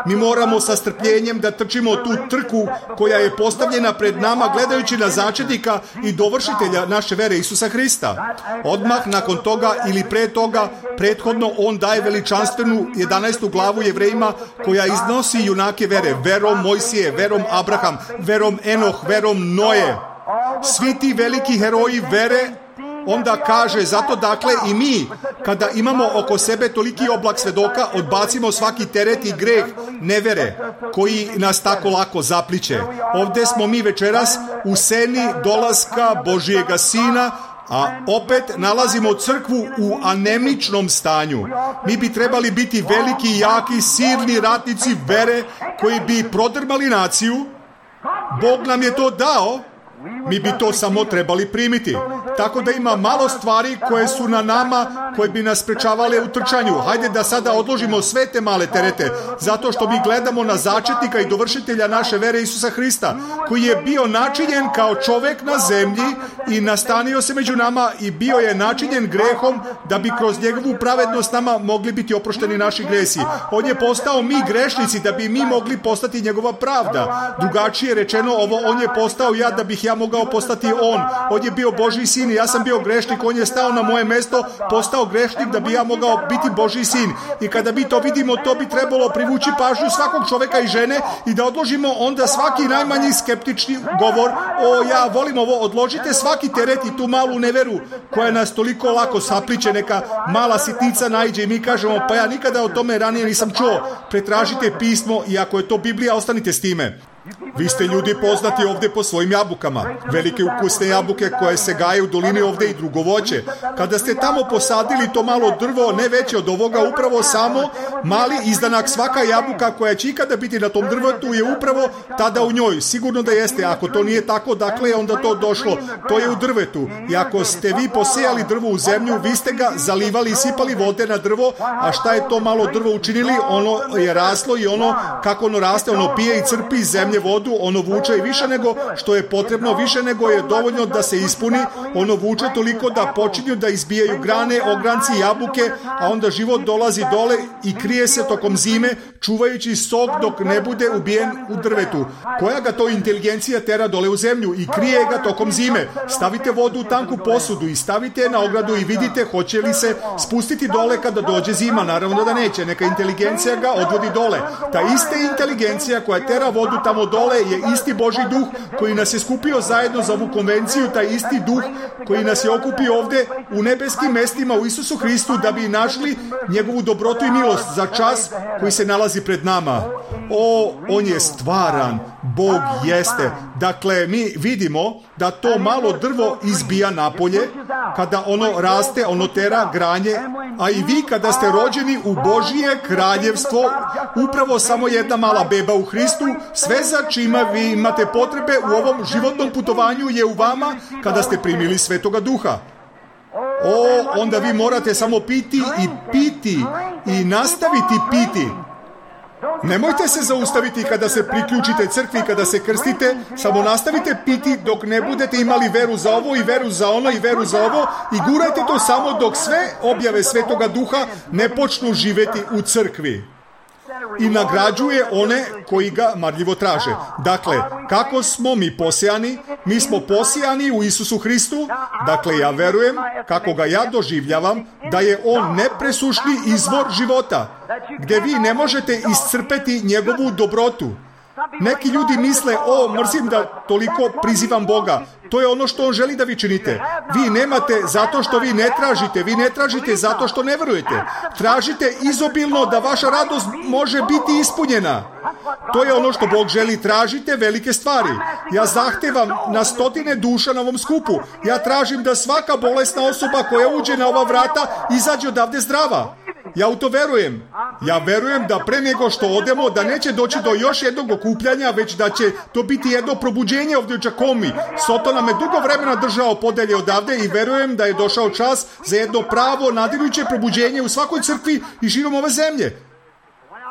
Mi moramo sa strpljenjem da trčimo tu trku koja je postavljena pred nama, gledajući na začetnika i dovršitelja naše vere Isusa Hrista. Odmah nakon toga ili pre toga, prethodno on daje veličanstvenu jedanaestu glavu Jevrejima koja iznosi junake vere, verom Mojsije, verom Abraham, verom Enoh, verom Noje. Svi ti veliki heroji vere. Onda kaže, zato dakle i mi, kada imamo oko sebe toliki oblak svedoka, odbacimo svaki teret i greh nevere, koji nas tako lako zapliće. Ovdje smo mi večeras u seni dolaska Božijega Sina, a opet nalazimo crkvu u anemičnom stanju. Mi bi trebali biti veliki, jaki, silni ratnici vere, koji bi prodrmali naciju. Bog nam je to dao. Mi bi to samo trebali primiti. Tako da ima malo stvari koje su na nama, koje bi nas sprečavale u trčanju. Hajde da sada odložimo sve te male terete, zato što mi gledamo na začetnika i dovršitelja naše vere Isusa Hrista, koji je bio načinjen kao čovjek na zemlji i nastanio se među nama i bio je načinjen grehom da bi kroz njegovu pravednost nama mogli biti oprošteni naši gresi. On je postao mi grešnici da bi mi mogli postati njegova pravda. Drugačije rečeno ovo, on je postao ja da bih ja mogao postati on. On je bio Božji sin i ja sam bio grešnik, on je stao na moje mesto, postao grešnik da bi ja mogao biti Božji sin. I kada mi to vidimo, to bi trebalo privući pažnju svakog čovjeka i žene i da odložimo onda svaki najmanji skeptični govor, o ja volim ovo, odložite svaki teret i tu malu neveru koja nas toliko lako sapliće, neka mala sitnica naiđe i mi kažemo, pa ja nikada o tome ranije nisam čuo. Pretražite pismo i ako je to Biblija, ostanite s time. Vi ste ljudi poznati ovdje po svojim jabukama. Velike ukusne jabuke koje se gaje u dolini ovdje i drugo voće. Kada ste tamo posadili to malo drvo, ne veće od ovoga, upravo samo mali izdanak, svaka jabuka koja će ikada biti na tom drvetu je upravo tada u njoj. Sigurno da jeste. Ako to nije tako, dakle je onda to došlo. To je u drvetu. I ako ste vi posejali drvo u zemlju, vi ste ga zalivali i sipali vode na drvo, a šta je to malo drvo učinili? Ono je raslo i ono, kako ono raste, ono pije i crpi iz zemlje vodu, ono vuče i više nego što je potrebno, više nego je dovoljno da se ispuni, ono vuče toliko da počinju da izbijaju grane, ogranci, jabuke, a onda život dolazi dole i krije se tokom zime, čuvajući sok dok ne bude ubijen u drvetu. Koja ga to inteligencija tera dole u zemlju i krije ga tokom zime? Stavite vodu u tanku posudu i stavite je na ogradu i vidite hoće li se spustiti dole kada dođe zima. Naravno da neće, neka inteligencija ga odvodi dole. Ta ista inteligencija koja tera vodu tamo dole je isti Božji duh koji nas je skupio zajedno za ovu konvenciju, taj isti duh koji nas je okupio ovdje u nebeskim mestima u Isusu Hristu da bi našli njegovu dobrotu i milost za čas koji se nalazi pred nama. O, on je stvaran, Bog jeste. Dakle, mi vidimo da to malo drvo izbija napolje, kada ono raste, ono tera granje, a i vi kada ste rođeni u Božije kraljevstvo, upravo samo jedna mala beba u Hristu, sve za čima vi imate potrebe u ovom životnom putovanju je u vama kada ste primili Svetoga Duha. O, onda vi morate samo piti i piti i nastaviti piti. Nemojte se zaustaviti kada se priključite crkvi, kada se krstite, samo nastavite piti dok ne budete imali veru za ovo i veru za ono i veru za ovo i gurajte to samo dok sve objave Svetoga Duha ne počnu živjeti u crkvi. i nagrađuje one koji ga marljivo traže. Dakle, kako smo mi posijani? Mi smo posijani u Isusu Hristu. Dakle, ja verujem, kako ga ja doživljavam, da je on nepresušni izvor života, gdje vi ne možete iscrpeti njegovu dobrotu. Neki ljudi misle, o, mrzim da toliko prizivam Boga. To je ono što on želi da vi činite. Vi nemate zato što vi ne tražite. Vi ne tražite zato što ne verujete. Tražite izobilno da vaša radost može biti ispunjena. To je ono što Bog želi. Tražite velike stvari. Ja zahtevam na stotine duša na ovom skupu. Ja tražim da svaka bolesna osoba koja uđe na ova vrata izađe odavde zdrava. Ja u to verujem. Ja verujem da pre nego što odemo, da neće doći do još jednog okupljanja, već da će to biti jedno probuđenje ovdje u Čakomi. Soto nam je dugo vremena držao podelje odavde i verujem da je došao čas za jedno pravo, nadirujuće probuđenje u svakoj crkvi i širom ove zemlje.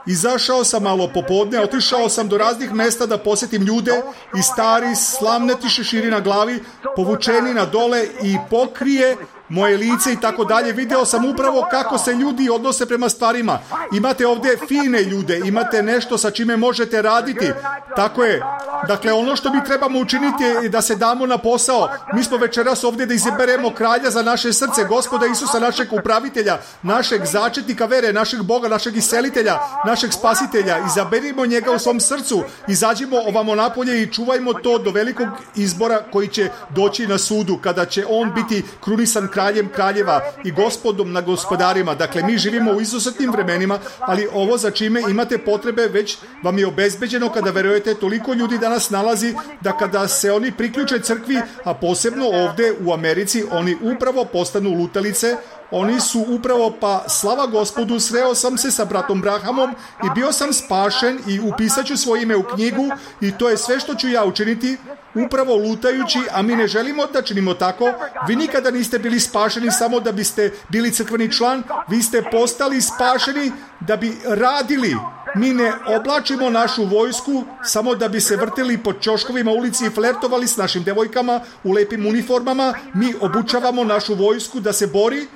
Izašao sam malo popodne, otišao sam do raznih mesta da posjetim ljude i stari slamneti šeširi na glavi, povučeni na dole i pokrije moje lice i tako dalje. Video sam upravo kako se ljudi odnose prema stvarima. Imate ovdje fine ljude, imate nešto sa čime možete raditi. Tako je. Dakle, ono što mi trebamo učiniti je da se damo na posao. Mi smo večeras ovdje da izaberemo kralja za naše srce, Gospoda Isusa, našeg upravitelja, našeg začetnika vere, našeg Boga, našeg iselitelja, našeg spasitelja. Izaberimo njega u svom srcu, izađimo ovamo napolje i čuvajmo to do velikog izbora koji će doći na sudu, kada će on biti krunisan kraljem kraljeva i gospodom na gospodarima. Dakle, mi živimo u izuzetnim vremenima, ali ovo za čime imate potrebe već vam je obezbeđeno kada verujete. Toliko ljudi danas nalazi da kada se oni priključe crkvi, a posebno ovdje u Americi, oni upravo postanu lutalice. Oni su upravo, pa slava Gospodu, sreo sam se sa bratom Brahamom i bio sam spašen i upisat ću svoje ime u knjigu i to je sve što ću ja učiniti, upravo lutajući, a mi ne želimo da činimo tako. Vi nikada niste bili spašeni samo da biste bili crkveni član, vi ste postali spašeni da bi radili. Mi ne oblačimo našu vojsku samo da bi se vrtili po ćoškovima ulici i flertovali s našim devojkama u lepim uniformama. Mi obučavamo našu vojsku da se bori.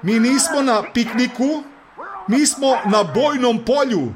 Mi nismo na pikniku, mi smo na bojnom polju.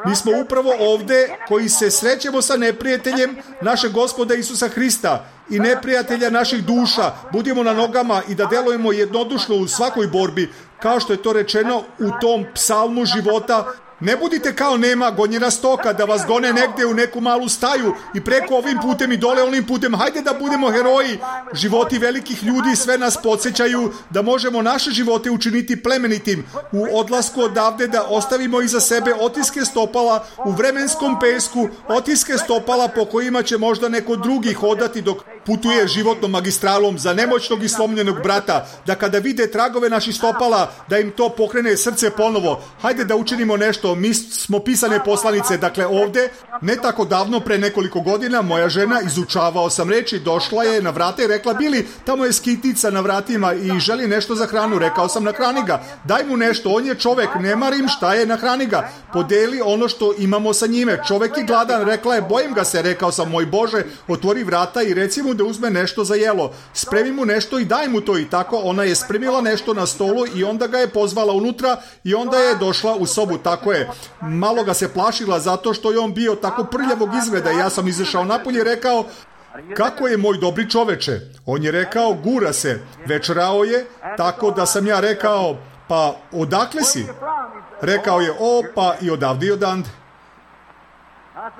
Mi smo upravo ovdje koji se srećemo sa neprijateljem našeg Gospoda Isusa Hrista i neprijatelja naših duša. Budimo na nogama i da delujemo jednodušno u svakoj borbi, kao što je to rečeno u tom psalmu života. Ne budite kao nema gonjena stoka da vas gone negdje u neku malu staju i preko ovim putem i dole onim putem. Hajde da budemo heroji. Životi velikih ljudi sve nas podsjećaju da možemo naše živote učiniti plemenitim. U odlasku odavde da ostavimo iza sebe otiske stopala u vremenskom pesku, otiske stopala po kojima će možda neko drugi hodati dok putuje životnom magistralom za nemoćnog i slomljenog brata, da kada vide tragove naših stopala, da im to pokrene srce ponovo. Hajde da učinimo nešto. Mi smo pisane poslanice. Dakle, ovdje, ne tako davno, pre nekoliko godina, moja žena, izučavao sam reči, došla je na vrata i rekla, Bili, tamo je skitica na vratima i želi nešto za hranu. Rekao sam, nahrani ga, daj mu nešto, on je čovek, ne marim šta je, nahrani ga, podeli ono što imamo sa njime. Čovek je gladan, rekla je, bojim ga se. Rekao sam, moj Bože, otvori vrata i reci mu da uzme nešto za jelo. Spremi mu nešto i daj mu to. I tako ona je spremila nešto na stolu i onda ga je pozvala unutra i onda je došla u sobu. Tako je. Malo ga se plašila zato što je on bio tako prljavog izgleda i ja sam izašao napolje i rekao, kako je moj dobri čoveče? On je rekao, gura se. Večerao je, tako da sam ja rekao, pa odakle si? Rekao je, o, pa i odavde i odande.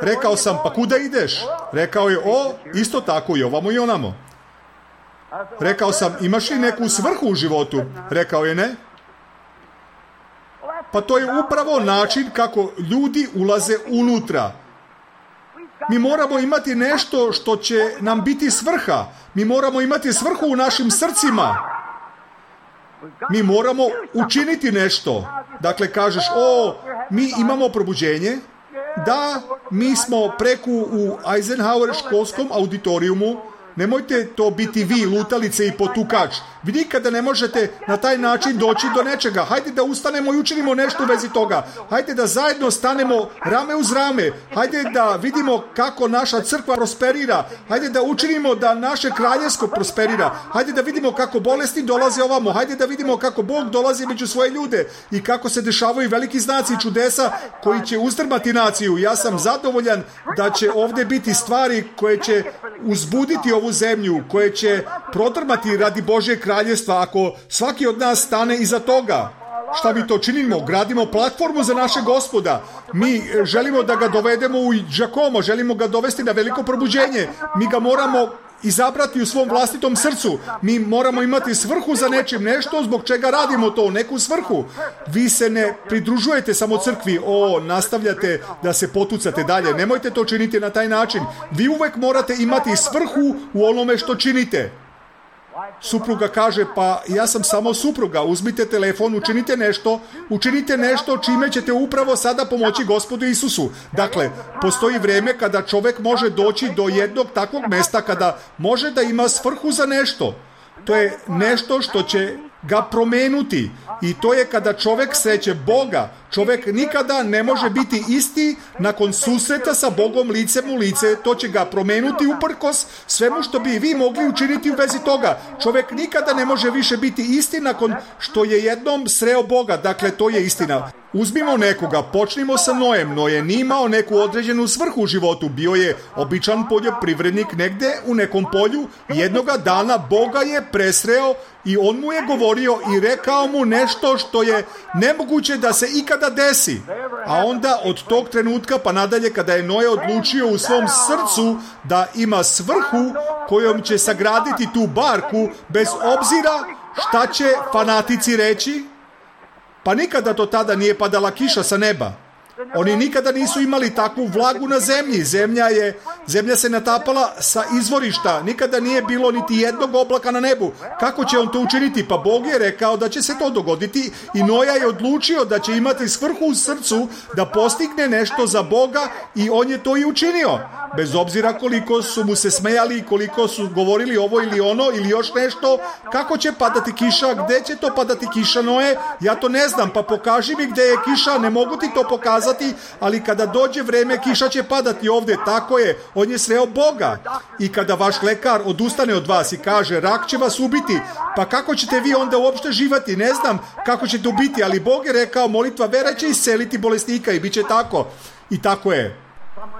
Rekao sam, pa kuda ideš? Rekao je, o, isto tako i ovamo i onamo. Rekao sam, imaš li neku svrhu u životu? Rekao je, ne. Pa to je upravo način kako ljudi ulaze unutra. Mi moramo imati nešto što će nam biti svrha. Mi moramo imati svrhu u našim srcima. Mi moramo učiniti nešto. Dakle, kažeš, o, mi imamo probuđenje. Da, mi smo preku u Eisenhower školskom auditorijumu. Nemojte to biti vi, lutalice i potukač. Vi nikada ne možete na taj način doći do nečega. Hajde da ustanemo i učinimo nešto u vezi toga. Hajde da zajedno stanemo rame uz rame. Hajde da vidimo kako naša crkva prosperira. Hajde da učinimo da naše kraljevsko prosperira. Hajde da vidimo kako bolesti dolaze ovamo. Hajde da vidimo kako Bog dolazi među svoje ljude i kako se dešavaju veliki znaci i čudesa koji će uzdrmati naciju. Ja sam zadovoljan da će ovdje biti stvari koje će uzbuditi ovu zemlju, koje će prodrmati radi Božje kraljevstva ako svaki od nas stane iza toga. Šta mi to činimo? Gradimo platformu za naše Gospoda. Mi želimo da ga dovedemo u Giacomo, želimo ga dovesti na veliko probuđenje. Mi ga moramo izabrati u svom vlastitom srcu. Mi moramo imati svrhu za nečim, nešto zbog čega radimo to, neku svrhu. Vi se ne pridružujete samo crkvi, o, nastavljate da se potucate dalje. Nemojte to činiti na taj način. Vi uvek morate imati svrhu u onome što činite. Supruga kaže, pa ja sam samo supruga, uzmite telefon, učinite nešto, učinite nešto čime ćete upravo sada pomoći Gospodu Isusu. Dakle, postoji vrijeme kada čovjek može doći do jednog takvog mesta kada može da ima svrhu za nešto. To je nešto što će ga promenuti i to je kada čovjek sreće Boga. Čovjek nikada ne može biti isti nakon susreta sa Bogom licem u lice. To će ga promenuti uprkos svemu što bi vi mogli učiniti u vezi toga. Čovjek nikada ne može više biti isti nakon što je jednom sreo Boga. Dakle, to je istina. Uzmimo nekoga, počnimo sa Nojem. Noje nije imao neku određenu svrhu u životu. Bio je običan poljoprivrednik negde u nekom polju. Jednoga dana Boga je presreo i on mu je govorio i rekao mu nešto što je nemoguće da se ikada desi. A onda od tog trenutka pa nadalje kada je Noje odlučio u svom srcu da ima svrhu kojom će sagraditi tu barku bez obzira šta će fanatici reći, pa nikada do tada nije padala kiša sa neba. Oni nikada nisu imali takvu vlagu na zemlji. Zemlja je, zemlja se natapala sa izvorišta. Nikada nije bilo niti jednog oblaka na nebu. Kako će on to učiniti? Pa Bog je rekao da će se to dogoditi i Noja je odlučio da će imati svrhu u srcu da postigne nešto za Boga i on je to i učinio. Bez obzira koliko su mu se smejali i koliko su govorili ovo ili ono ili još nešto, kako će padati kiša, gde će to padati kiša, Noje? Ja to ne znam, pa pokaži mi gde je kiša, ne mogu ti to pokazati, ali kada dođe vreme kiša će padati ovdje, tako je, on je sreo Boga. I kada vaš lekar odustane od vas i kaže rak će vas ubiti, pa kako ćete vi onda uopšte živati? Ne znam kako ćete ubiti, ali Bog je rekao molitva vera će isceliti bolesnika i bit će tako. I tako je.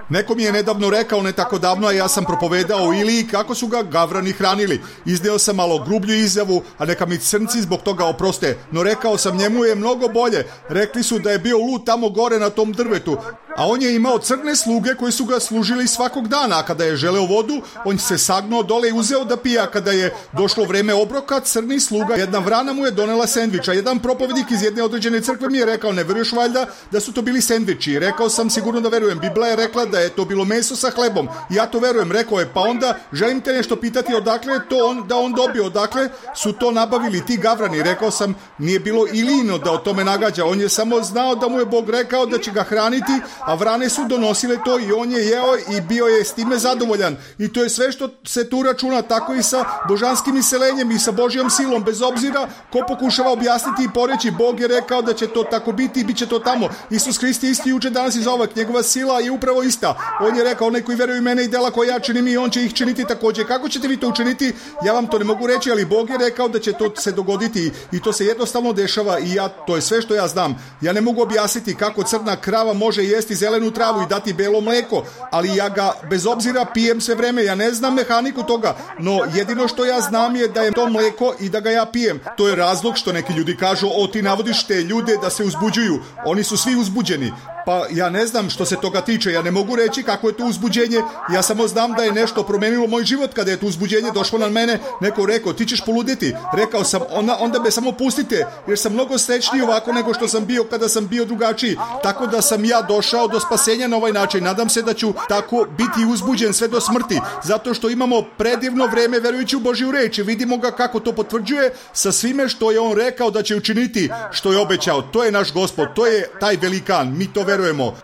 Neko mi je nedavno rekao, ne tako davno, a ja sam propovedao o Iliji kako su ga gavrani hranili. Izneo sam malo grublju izjavu, a neka mi crnci zbog toga oproste. No rekao sam, njemu je mnogo bolje. Rekli su da je bio lud tamo gore na tom drvetu. A on je imao crne sluge koji su ga služili svakog dana. A kada je želeo vodu, on se sagnuo dole i uzeo da pije. A kada je došlo vreme obroka, crni sluga, jedna vrana mu je donela sendviča. Jedan propovednik iz jedne određene crkve mi je rekao, ne veruješ valjda da su to bili sendviči? Rekao sam, sigurno da verujem. Biblia je rekla da je to bilo meso sa hlebom. Ja to verujem. Rekao je, pa onda želim te nešto pitati odakle je to on, da on dobio, odakle su to nabavili ti gavrani. Rekao sam, nije bilo Ilino da o tome nagađa. On je samo znao da mu je Bog rekao da će ga hraniti, a vrane su donosile to i on je jeo i bio je s time zadovoljan. I to je sve što se tu računa, tako i sa božanskim iselenjem i sa Božjom silom, bez obzira ko pokušava objasniti i poreći. Bog je rekao da će to tako biti i bit će to tamo. Isus Hrist je isti juče, danas i zauvek. Njegova sila je upravo ista. On je rekao, onaj koji veruje u mene i dela koje ja činim i on će ih činiti također. Kako ćete vi to učiniti? Ja vam to ne mogu reći, ali Bog je rekao da će to se dogoditi i to se jednostavno dešava i ja, to je sve što ja znam. Ja ne mogu objasniti kako crna krava može jesti zelenu travu i dati belo mleko, ali ja ga bez obzira pijem sve vreme. Ja ne znam mehaniku toga, no jedino što ja znam je da je to mleko i da ga ja pijem. To je razlog što neki ljudi kažu, o ti navodiš te ljude da se uzbuđuju. Oni su svi uzbuđeni. Pa ja ne znam što se toga tiče, ja ne mogu reći kako je to uzbuđenje, ja samo znam da je nešto promenilo moj život kada je to uzbuđenje došlo na mene. Neko rekao, ti ćeš poluditi. Rekao sam, onda, onda me samo pustite, jer sam mnogo srećniji ovako nego što sam bio kada sam bio drugačiji. Tako da sam ja došao do spasenja na ovaj način. Nadam se da ću tako biti uzbuđen sve do smrti, zato što imamo predivno vreme verujući u Božju reč i vidimo ga kako to potvrđuje sa svime što je on rekao da će učiniti, što je obećao. To je naš Gospod, to je taj velikan, mi to verujemo.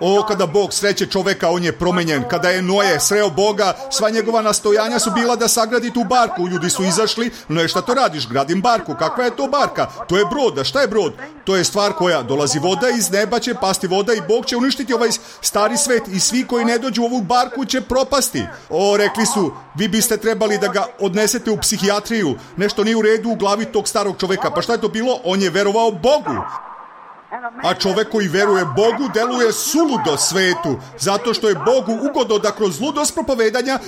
O, kada Bog sreće čoveka, on je promenjen. Kada je Noe sreo Boga, sva njegova nastojanja su bila da sagradi tu barku. Ljudi su izašli, no je šta to radiš? Gradim barku. Kakva je to barka? To je brod. A šta je brod? To je stvar koja dolazi voda iz neba, će pasti voda i Bog će uništiti ovaj stari svet i svi koji ne dođu u ovu barku će propasti. O, rekli su, vi biste trebali da ga odnesete u psihijatriju. Nešto nije u redu u glavi tog starog čoveka. Pa šta je to bilo? On je verovao Bogu. A čovek koji veruje Bogu deluje suludo svetu, zato što je Bogu ugodno da kroz ludost propovedanja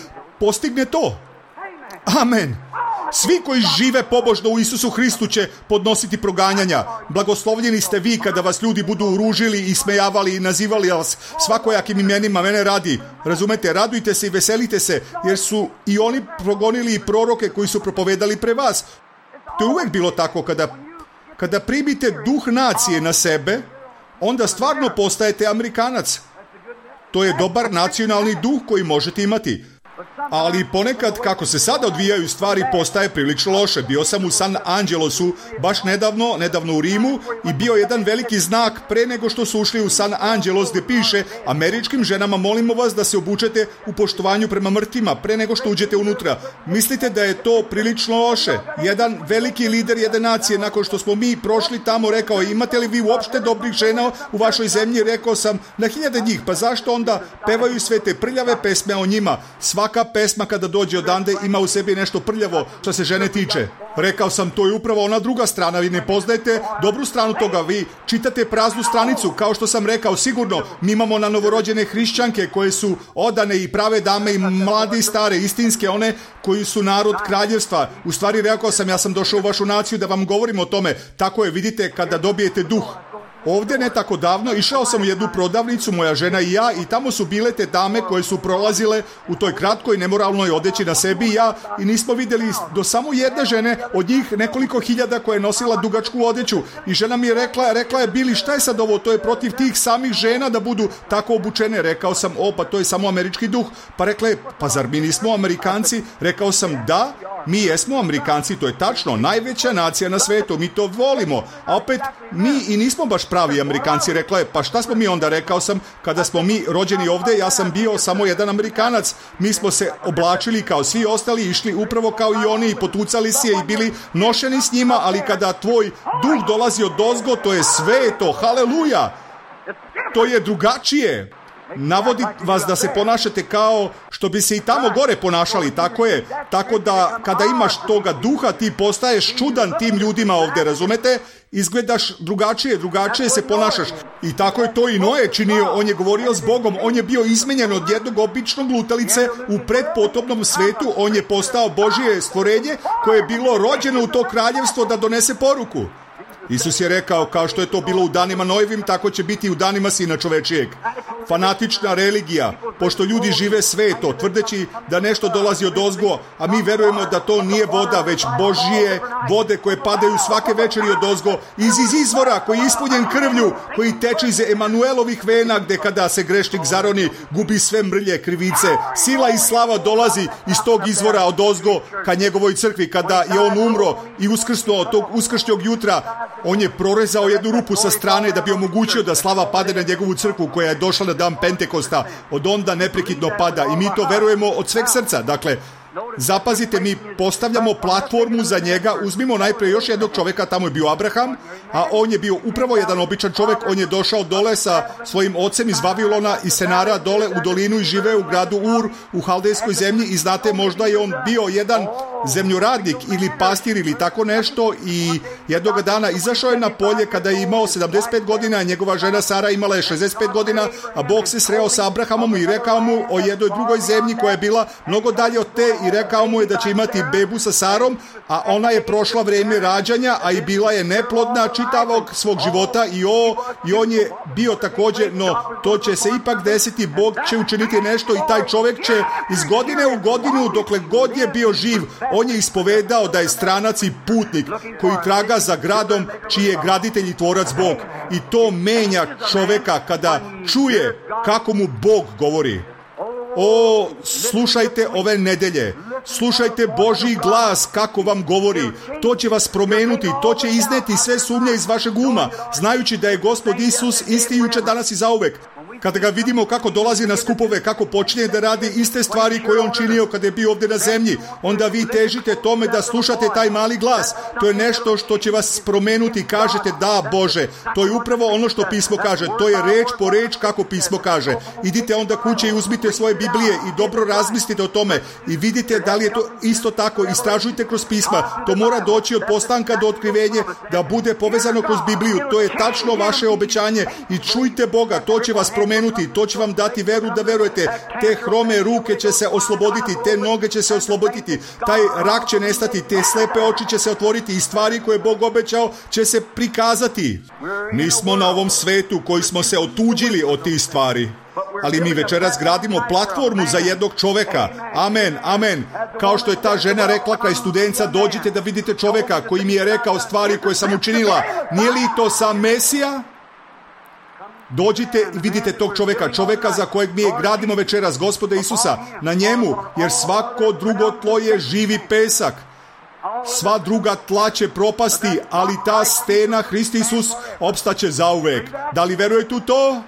postigne to. Amen. Svi koji žive pobožno u Isusu Hristu će podnositi proganjanja. Blagoslovljeni ste vi kada vas ljudi budu uružili i smejavali i nazivali vas svakojakim imenima. Mene radi. Razumete, radujte se i veselite se, jer su i oni progonili proroke koji su propovedali pre vas. To je uvek bilo tako. Kada Kada primite duh nacije na sebe, onda stvarno postajete Amerikanac. To je dobar nacionalni duh koji možete imati. Ali ponekad, kako se sada odvijaju stvari, postaje prilično loše. Bio sam u San Angelosu baš nedavno, nedavno u Rimu i bio jedan veliki znak pre nego što su ušli u San Angelos gdje piše: američkim ženama molimo vas da se obučete u poštovanju prema mrtvima pre nego što uđete unutra. Mislite da je to prilično loše? Jedan veliki lider jedne nacije, nakon što smo mi prošli tamo, rekao: imate li vi uopšte dobrih žena u vašoj zemlji? Rekao sam: na hiljade njih. Pa zašto onda pevaju sve te prljave pesme o njima? Svaka pesma kada dođe odande ima u sebi nešto prljavo što se žene tiče. Rekao sam, to je upravo ona druga strana. Vi ne poznajete dobru stranu toga. Vi čitate praznu stranicu. Kao što sam rekao, sigurno mi imamo na novorođene hrišćanke koje su odane i prave dame i mlade i stare, istinske, one koji su narod kraljevstva. U stvari, rekao sam, ja sam došao u vašu naciju da vam govorim o tome. Tako je, vidite, kada dobijete duh. Ovdje ne tako davno išao sam u jednu prodavnicu, moja žena i ja, i tamo su bile te dame koje su prolazile u toj kratkoj nemoralnoj odeći na sebi i ja, i nismo vidjeli do samo jedne žene od njih nekoliko hiljada koja je nosila dugačku odeću. I žena mi je rekla, rekla je: Bili, šta je sad ovo? To je protiv tih samih žena da budu tako obučene. Rekao sam: o, pa to je samo američki duh. Pa rekla je: pa zar mi nismo Amerikanci? Rekao sam: da, mi jesmo Amerikanci, to je tačno, najveća nacija na svetu, mi to volimo, a opet mi i nismo baš pravi Amerikanci. Rekla je: pa šta smo mi onda? Rekao sam: kada smo mi rođeni ovdje, ja sam bio samo jedan Amerikanac, mi smo se oblačili kao svi ostali, išli upravo kao i oni i potucali si je i bili nošeni s njima, ali kada tvoj duh dolazi od ozgo, to je sveto, haleluja, to je drugačije. Navodi vas da se ponašate kao što bi se i tamo gore ponašali, tako je. Tako da kada imaš toga duha, ti postaješ čudan tim ljudima ovdje, razumete? Izgledaš drugačije, drugačije se ponašaš. I tako je to i Noe činio. On je govorio s Bogom, on je bio izmenjen od jednog običnog lutalice u predpotopnom svetu. On je postao Božje stvorenje koje je bilo rođeno u to kraljevstvo da donese poruku. Isus je rekao, kao što je to bilo u danima Noevim, tako će biti i u danima Sina čovečijeg. Fanatična religija, pošto ljudi žive sveto, tvrdeći da nešto dolazi od ozgo, a mi verujemo da to nije voda, već Božje vode koje padaju svake večeri od ozgo, iz, iz izvora koji je ispunjen krvlju, koji teče iz Emanuelovih vena, gde kada se grešnik zaroni, gubi sve mrlje, krivice. Sila i slava dolazi iz tog izvora od ozgo ka njegovoj crkvi. Kada je on umro i uskrsnuo od tog uskršnjog jutra, on je prorezao jednu rupu sa strane da bi omogućio da slava pade na njegovu crkvu koja je došla na dan Pentekosta. Od onda neprekidno pada i mi to verujemo od sveg srca. Dakle, zapazite, mi postavljamo platformu za njega. Uzmimo najprije još jednog čovjeka, tamo je bio Abraham, a on je bio upravo jedan običan čovjek. On je došao dole sa svojim ocem iz Vavilona i Senara dole u dolinu i živeo u gradu Ur u Haldejskoj zemlji, i znate, možda je on bio jedan zemljoradnik ili pastir ili tako nešto, i jednog dana izašao je na polje kada je imao sedamdeset pet godina, a njegova žena Sara imala je šezdeset pet godina, a Bog se sreo sa Abrahamom i rekao mu o jednoj drugoj zemlji koja je bila mnogo dalje od te, i rekao mu je da će imati bebu sa Sarom, a ona je prošla vrijeme rađanja, a i bila je neplodna čitavog svog života, i, o, i on je bio također, no to će se ipak desiti, Bog će učiniti nešto i taj čovjek će iz godine u godinu, dokle god je bio živ, on je ispovedao da je stranac i putnik koji traga za gradom čiji je graditelj i tvorac Bog. I to menja čovjeka kada čuje kako mu Bog govori. O, slušajte ove nedelje, slušajte Božji glas kako vam govori. To će vas promenuti, to će izneti sve sumnje iz vašeg uma, znajući da je Gospod Isus isti jučer, danas i zauvek. kada ga vidimo kako dolazi na skupove, kako počinje da radi iste stvari koje on činio kada je bio ovdje na zemlji, onda vi težite tome da slušate taj mali glas. To je nešto što će vas promenuti. Kažete, da Bože, to je upravo ono što pismo kaže. To je reč po reč kako pismo kaže. Idite onda kuće i uzmite svoje Biblije i dobro razmislite o tome i vidite da li je to isto tako. Istražujte kroz pisma. To mora doći od postanka do otkrivenja, da bude povezano kroz Bibliju. To je tačno vaše obećanje i čujte Boga. To će vas promenuti. To će vam dati veru da verujete. Te hrome ruke će se osloboditi, te noge će se osloboditi, taj rak će nestati, te slepe oči će se otvoriti i stvari koje Bog obećao će se prikazati. Mi smo na ovom svetu koji smo se otuđili od tih stvari, ali mi večeras gradimo platformu za jednog čoveka. Amen, amen. Kao što je ta žena rekla kraj Studenca, dođite da vidite čoveka koji mi je rekao stvari koje sam učinila. Nije li to sam Mesija? Dođite i vidite tog čoveka, čoveka za kojeg mi je gradimo večeras, Gospoda Isusa, na njemu, jer svako drugo tlo je živi pesak. Sva druga tla će propasti, ali ta stena, Hrist Isus, opstaće zauvek. Da li verujete u to?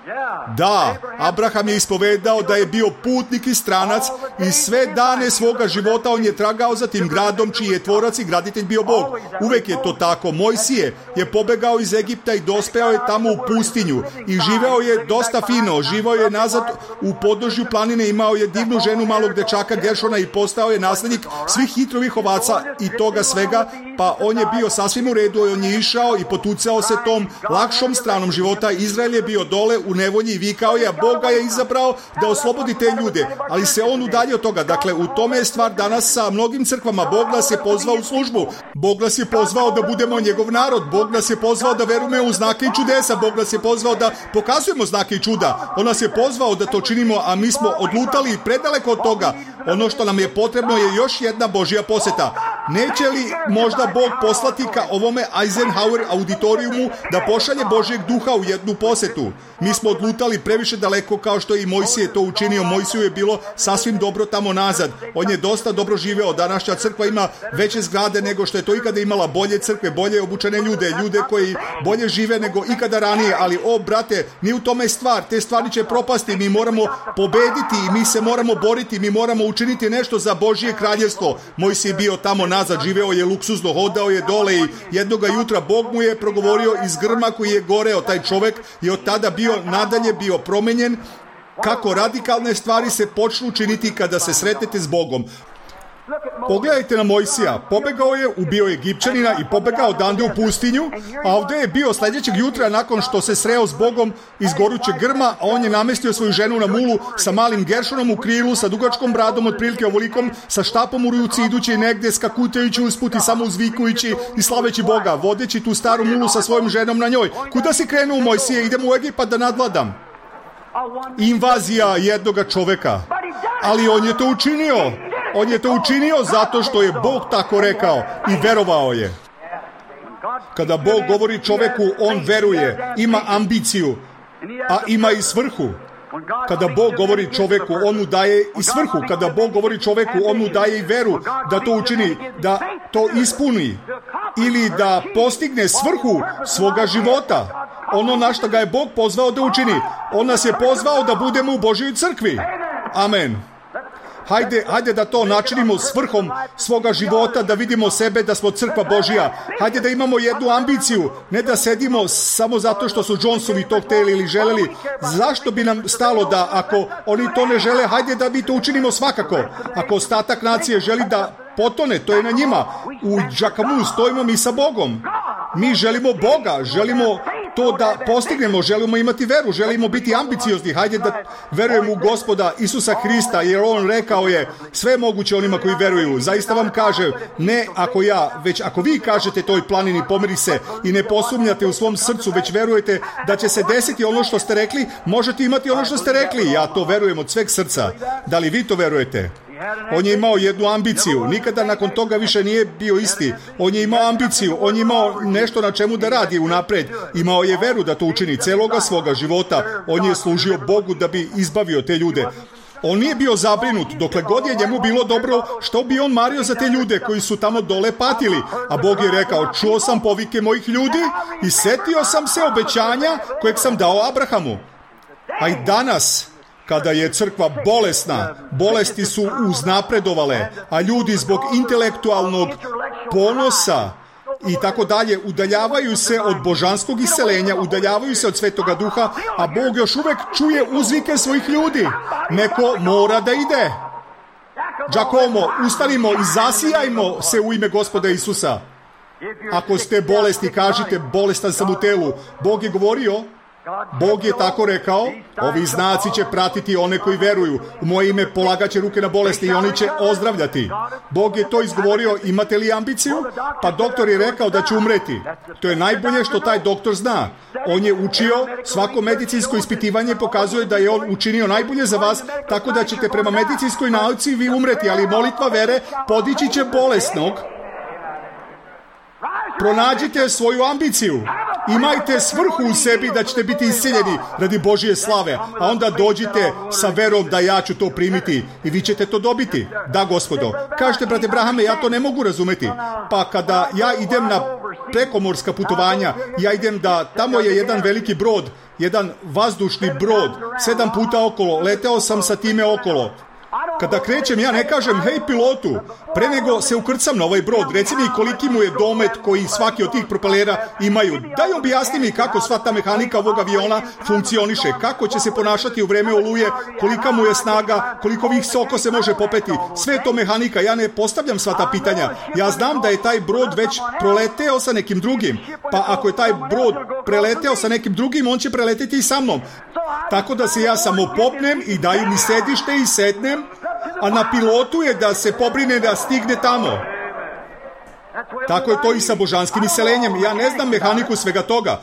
Da. Abraham je ispovedao da je bio putnik i stranac i sve dane svoga života on je tragao za tim gradom čiji je tvorac i graditelj bio Bog. Uvek je to tako. Mojsije je pobegao iz Egipta i dospeo je tamo u pustinju i živeo je dosta fino. Živeo je nazad u podnožju planine, imao je divnu ženu malog dečaka Geršona i postao je naslednik svih hitrovih ovaca i toga svega, pa on je bio sasvim u redu i on je išao i potucao se tom lakšom stranom života. Izrael je bio dole u nevolji i vikao je, a Boga je izabrao da oslobodi te ljude, ali se on udaljio od toga. Dakle, u tome je stvar danas sa mnogim crkvama. Bog nas je pozvao u službu, Bog nas je pozvao da budemo njegov narod, Bog nas je pozvao da verujemo u znake i čudesa, Bog nas je pozvao da pokazujemo znake i čuda. On nas je pozvao da to činimo, a mi smo odlutali predaleko od toga. Ono što nam je potrebno je još jedna Božja poseta. Neće li možda Bog poslati ka ovome Eisenhower auditorijumu da pošalje Božjeg duha u jednu posetu? Mi smo odlutali previše daleko, kao što je i Mojsije to učinio. Mojsiju je bilo sasvim dobro tamo nazad. On je dosta dobro živeo. Današnja crkva ima veće zgrade nego što je to ikada imala, bolje crkve, bolje obučene ljude, ljude koji bolje žive nego ikada ranije. Ali o brate, ni u tome stvar. Te stvari će propasti. Mi moramo pobediti i mi se moramo boriti. Mi moramo učiniti nešto za Božje kraljevstvo. Mojsije je bio tamo nazad, živeo je luksuzno, hodao je dole i jednoga jutra Bog mu je progovorio iz grma koji je goreo. Taj čovek je od tada bio nadalje bio promenjen. Kako radikalne stvari se počnu činiti kada se sretnete s Bogom. Pogledajte na Mojsija. Pobegao je, ubio je Egipćanina i pobegao odande u pustinju, a ovdje je bio sljedećeg jutra nakon što se sreo s Bogom iz gorućeg grma, a on je namestio svoju ženu na mulu sa malim Geršonom u krilu, sa dugačkom bradom otprilike ovolikom, sa štapom u ruci, idući negdje, skakutajući usput i samo uzvikujući i slaveći Boga, vodeći tu staru mulu sa svojom ženom na njoj. Kuda si krenuo, Mojsije? Idem u Egipat da nadvladam. Invazija jednoga čoveka. Ali on je to učinio. On je to učinio zato što je Bog tako rekao i verovao je. Kada Bog govori čoveku, on veruje, ima ambiciju, a ima i svrhu. Kada Bog govori čoveku, on mu daje i svrhu. Kada Bog govori čoveku, on mu daje i veru da to učini, da to ispuni ili da postigne svrhu svoga života. Ono na što ga je Bog pozvao da učini. On nas je pozvao da budemo u Božjoj crkvi. Amen. Hajde, hajde da to načinimo svrhom svoga života, da vidimo sebe da smo crkva Božja. Hajde da imamo jednu ambiciju, ne da sedimo samo zato što su Jonesovi to htjeli ili želeli. Zašto bi nam stalo da ako oni to ne žele, hajde da mi to učinimo svakako. Ako ostatak nacije želi da potone, to je na njima. U Džakamu stojimo mi sa Bogom. Mi želimo Boga, želimo to da postignemo, želimo imati veru, želimo biti ambiciozni. Hajde da verujemo u Gospoda Isusa Hrista, jer on rekao je sve moguće onima koji veruju. Zaista vam kaže, ne ako ja, već ako vi kažete toj planini pomeri se i ne posumnjate u svom srcu, već verujete da će se desiti ono što ste rekli, možete imati ono što ste rekli. Ja to verujem od sveg srca. Da li vi to verujete? On je imao jednu ambiciju, nikada nakon toga više nije bio isti. On je imao ambiciju, on je imao nešto na čemu da radi unapred. Imao je veru da to učini celoga svoga života. On je služio Bogu da bi izbavio te ljude. On nije bio zabrinut, dokle god je njemu bilo dobro, što bi on mario za te ljude koji su tamo dole patili. A Bog je rekao, čuo sam povike mojih ljudi i setio sam se obećanja kojeg sam dao Abrahamu. A i danas, kada je crkva bolesna, bolesti su uznapredovale, a ljudi zbog intelektualnog ponosa i tako dalje udaljavaju se od božanskog iseljenja, udaljavaju se od Svetoga Duha, a Bog još uvek čuje uzvike svojih ljudi. Neko mora da ide. Giacomo, ustanimo i zasijajmo se u ime Gospoda Isusa. Ako ste bolesni, kažite, bolestan sam u telu. Bog je govorio, Bog je tako rekao, ovi znaci će pratiti one koji veruju. U moje ime polagaće ruke na bolesti i oni će ozdravljati. Bog je to izgovorio, imate li ambiciju? Pa doktor je rekao da će umreti. To je najbolje što taj doktor zna. On je učio, svako medicinsko ispitivanje pokazuje da je on učinio najbolje za vas, tako da ćete prema medicinskoj nauci vi umreti, ali molitva vere podići će bolesnog. Pronađite svoju ambiciju. Imajte svrhu u sebi da ćete biti iscijeljeni radi Božije slave, a onda dođite sa verom da ja ću to primiti i vi ćete to dobiti. Da, Gospodo. Kažete, brate Brahame, ja to ne mogu razumeti. Pa kada ja idem na prekomorska putovanja, ja idem da, tamo je jedan veliki brod, jedan vazdušni brod, sedam puta okolo, leteo sam sa time okolo. Kada krećem, ja ne kažem, hej pilotu, pre nego se ukrcam na ovaj brod, reci mi koliki mu je domet koji svaki od tih propelera imaju. Daj objasni mi kako sva ta mehanika ovog aviona funkcioniše, kako će se ponašati u vreme oluje, kolika mu je snaga, koliko ovih soko se može popeti. Sve to mehanika, ja ne postavljam sva ta pitanja. Ja znam da je taj brod već proleteo sa nekim drugim, pa ako je taj brod preleteo sa nekim drugim, on će preleteti i sa mnom. Tako da se ja samo popnem i daju mi sedište i setnem, a na pilotu je da se pobrine da stigne tamo. Tako je to i sa božanskim iselenjem. Ja ne znam mehaniku svega toga.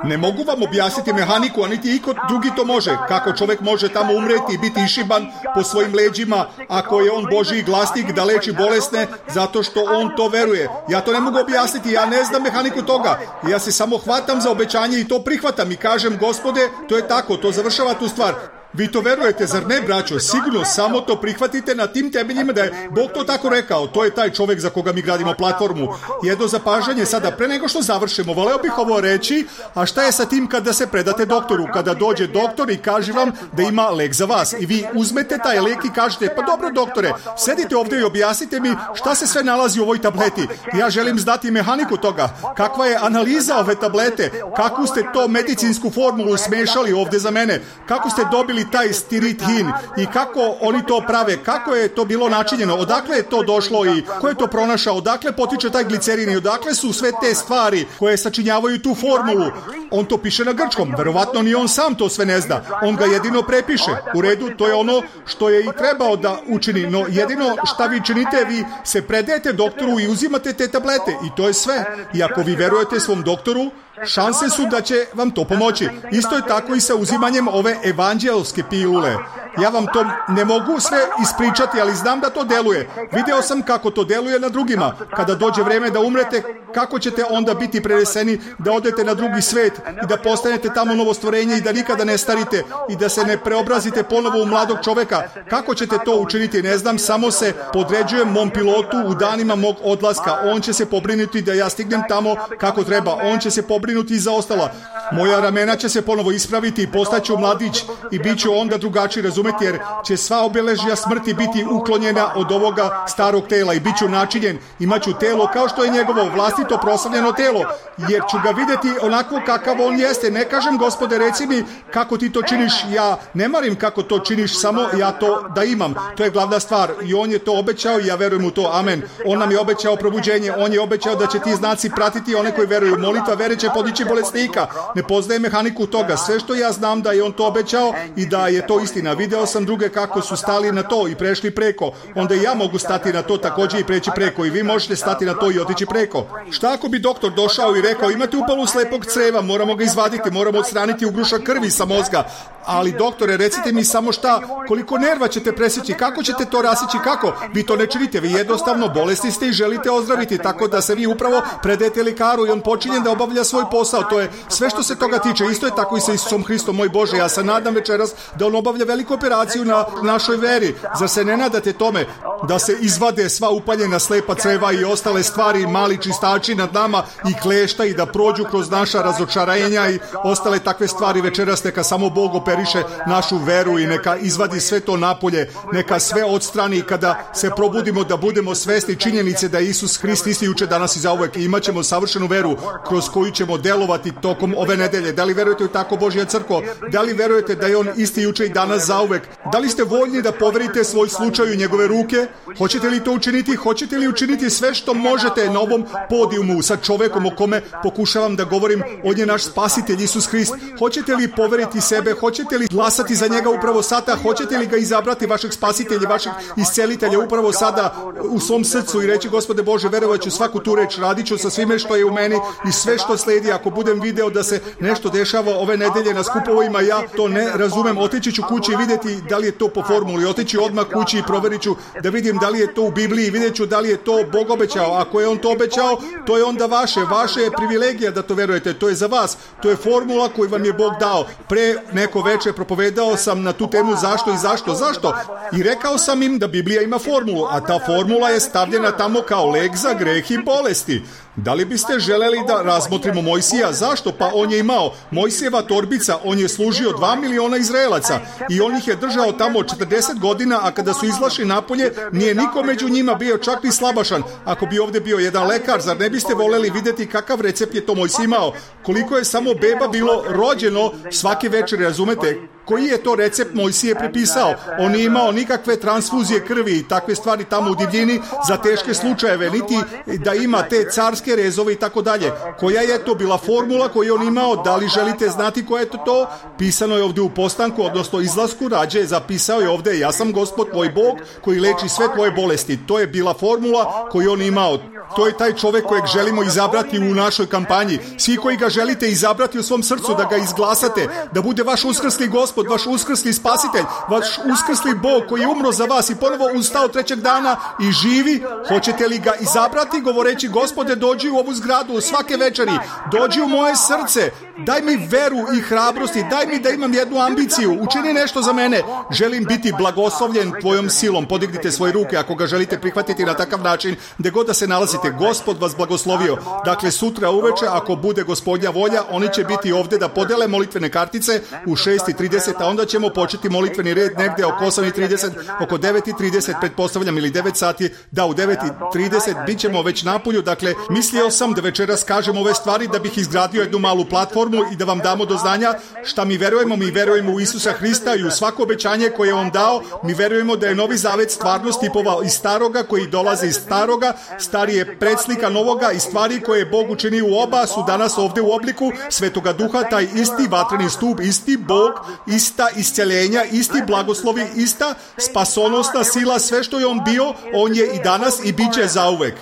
Ne mogu vam objasniti mehaniku, a niti iko drugi to može. Kako čovjek može tamo umreti i biti išiban po svojim leđima, ako je on Božji glasnik da leči bolesne, zato što on to veruje. Ja to ne mogu objasniti, ja ne znam mehaniku toga. Ja se samo hvatam za obećanje i to prihvatam i kažem, Gospode, to je tako, to završava tu stvar. Vi to verujete, zar ne, braćo? Sigurno, samo to prihvatite na tim temeljima da je Bog to tako rekao. To je taj čovjek za koga mi gradimo platformu. Jedno zapažanje sada, pre nego što završimo, voleo bih ovo reći, a šta je sa tim kada se predate doktoru? Kada dođe doktor i kaže vam da ima lek za vas i vi uzmete taj lek i kažete, pa dobro doktore, sedite ovdje i objasnite mi šta se sve nalazi u ovoj tableti. Ja želim znati mehaniku toga. Kakva je analiza ove tablete? Kakvu ste to medicinsku formulu smešali ovdje za mene? Kako ste dobili taj stirithin i kako oni to prave, kako je to bilo načinjeno, odakle je to došlo i ko je to pronašao, odakle potiče taj glicerin i odakle su sve te stvari koje sačinjavaju tu formulu. On to piše na grčkom, verovatno ni on sam to sve ne zna, on ga jedino prepiše. U redu, to je ono što je i trebao da učini, no jedino šta vi činite, vi se predajete doktoru i uzimate te tablete i to je sve. I ako vi verujete svom doktoru, šanse su da će vam to pomoći. Isto je tako i sa uzimanjem ove evanđelske pilule. Ja vam to ne mogu sve ispričati, ali znam da to deluje. Video sam kako to deluje na drugima. Kada dođe vreme da umrete, kako ćete onda biti preneseni da odete na drugi svet i da postanete tamo novo stvorenje i da nikada ne starite i da se ne preobrazite ponovo u mladog čoveka. Kako ćete to učiniti? Ne znam, samo se podređujem mom pilotu u danima mog odlaska. On će se pobrinuti da ja stignem tamo kako treba. On će se pobrinuti za ostala. Moja ramena će se ponovo ispraviti i postaću mladić i bit ću onda drugačiji, razumeti, jer će sva obeležja smrti biti uklonjena od ovoga starog tela i bit ću načinjen, imaću telo kao što je njegovo vlastito proslavljeno telo, jer ću ga vidjeti onako kakav on jeste. Ne kažem, Gospode, reci mi kako ti to činiš, ja ne marim kako to činiš, samo ja to da imam. To je glavna stvar i on je to obećao i ja verujem u to, amen. On nam je obećao probuđenje, on je obećao da će ti znaci pratiti one koji veruju. Molitva vere će podići bolesnika. Ne poznaje mehaniku toga. Sve što ja znam da je on to obećao i da je to istina. Video sam druge kako su stali na to i prešli preko. Onda i ja mogu stati na to također i preći preko i vi možete stati na to i otići preko. Šta ako bi doktor došao i rekao, imate upalu slepog creva, moramo ga izvaditi, moramo odstraniti ugrušak krvi sa mozga. Ali doktore, recite mi samo šta, koliko nerva ćete presjeći, kako ćete to rasići, kako? Vi to ne činite, vi jednostavno bolesti ste i želite ozdraviti, tako da se vi upravo predajete lekaru i on počinje da obavlja svoj posao. To je sve što se toga tiče. Isto je tako i sa Isusom Hristom, moj Bože. Ja se nadam večeras da on obavlja veliku operaciju na našoj veri. Zar se ne nadate tome da se izvade sva upaljena slepa creva i ostale stvari, mali čistači nad nama i klešta i da prođu kroz naša razočarenja i ostale takve stvari večeras, neka samo Bog opere operiše našu veru i neka izvadi sve to napolje, neka sve odstrani kada se probudimo da budemo svesni činjenice da je Isus Hrist isti juče, danas i zauvek i imat ćemo savršenu veru kroz koju ćemo delovati tokom ove nedelje. Da li verujete u tako Božja crkvo? Da li verujete da je on isti juče i danas zauvek? Da li ste voljni da poverite svoj slučaj u njegove ruke? Hoćete li to učiniti? Hoćete li učiniti sve što možete na ovom podijumu sa čovekom o kome pokušavam da govorim? On je naš spasitelj Isus Hrist. Hoćete li poveriti sebe? Hoćete li glasati za njega upravo sada? Hoćete li ga izabrati, vašeg spasitelja, vašeg iscelitelja upravo sada u svom srcu i reći: Gospode Bože, verovaću svaku tu reč, radit ću sa svime što je u meni i sve što sledi. Ako budem video da se nešto dešava ove nedelje na skupovima, ja to ne razumem, otići ću kući i vidjeti da li je to po formuli, otići odmah kući i proverit ću da vidim da li je to u Bibliji, vidjet ću da li je to Bog obećao. Ako je on to obećao, to je onda vaše, vaše je privilegija da to verujete, to je za vas, to je formula koju vam je Bog dao. Pre neko veče propovedao sam na tu temu zašto i zašto, zašto? I rekao sam im da Biblija ima formulu, a ta formula je stavljena tamo kao lek za greh i bolesti. Da li biste želeli da razmotrimo Mojsija? Zašto? Pa on je imao Mojsijeva torbica, on je služio dva miliona Izraelaca i on ih je držao tamo četrdeset godina, a kada su izlašli napolje, nije niko među njima bio čak ni slabašan. Ako bi ovdje bio jedan lekar, zar ne biste voleli vidjeti kakav recept je to Mojsij imao? Koliko je samo beba bilo rođeno svake večeri, razumete? Koji je to recept Mojsije prepisao? On nije imao nikakve transfuzije krvi i takve stvari tamo u divljini za teške slučajeve, niti da ima te carske rezove i tako dalje. Koja je to bila formula koju on imao? Da li želite znati koja je to to? Pisano je ovdje u postanku, odnosno izlasku rađe, zapisao je ovdje: ja sam Gospod tvoj Bog koji leči sve tvoje bolesti. To je bila formula koju on imao. To je taj čovjek kojeg želimo izabrati u našoj kampanji. Svi koji ga želite izabrati u svom srcu, da ga izglasate, da bude vaš uskrsli Gospod, vaš uskrsli spasitelj, vaš uskrsli Bog koji je umro za vas i ponovo ustao trećeg dana i živi, hoćete li ga izabrati govoreći: Gospode, dođi u ovu zgradu svake večeri, dođi u moje srce, daj mi veru i hrabrosti, daj mi da imam jednu ambiciju, učini nešto za mene, želim biti blagoslovljen tvojom silom. Podignite svoje ruke ako ga želite prihvatiti na takav način, gdje god da se nalazite. Gospod vas blagoslovio. Dakle, sutra uveče, ako bude Gospodnja volja, oni će biti ovdje da podele molitvene kartice u šest i trideset, a onda ćemo početi molitveni red negdje oko osam i trideset, oko devet i trideset, pretpostavljam, ili devet sati, da u devet i trideset bit ćemo već napolju. Dakle, mislio sam da večeras kažem ove stvari da bih izgradio jednu malu platformu i da vam damo do znanja šta mi verujemo. Mi verujemo u Isusa Hrista i u svako obećanje koje je on dao. Mi verujemo da je Novi Zavet stvarnost tipova iz staroga koji dolaze iz staroga. Stari je predslika novoga i stvari koje je Bog učinio u oba su danas ovdje u obliku Svetoga Duha, taj isti vatreni stup, isti Bog, ista isceljenja, isti blagoslovi, ista spasonosna sila, sve što je on bio, on je i danas i bit će zauvek.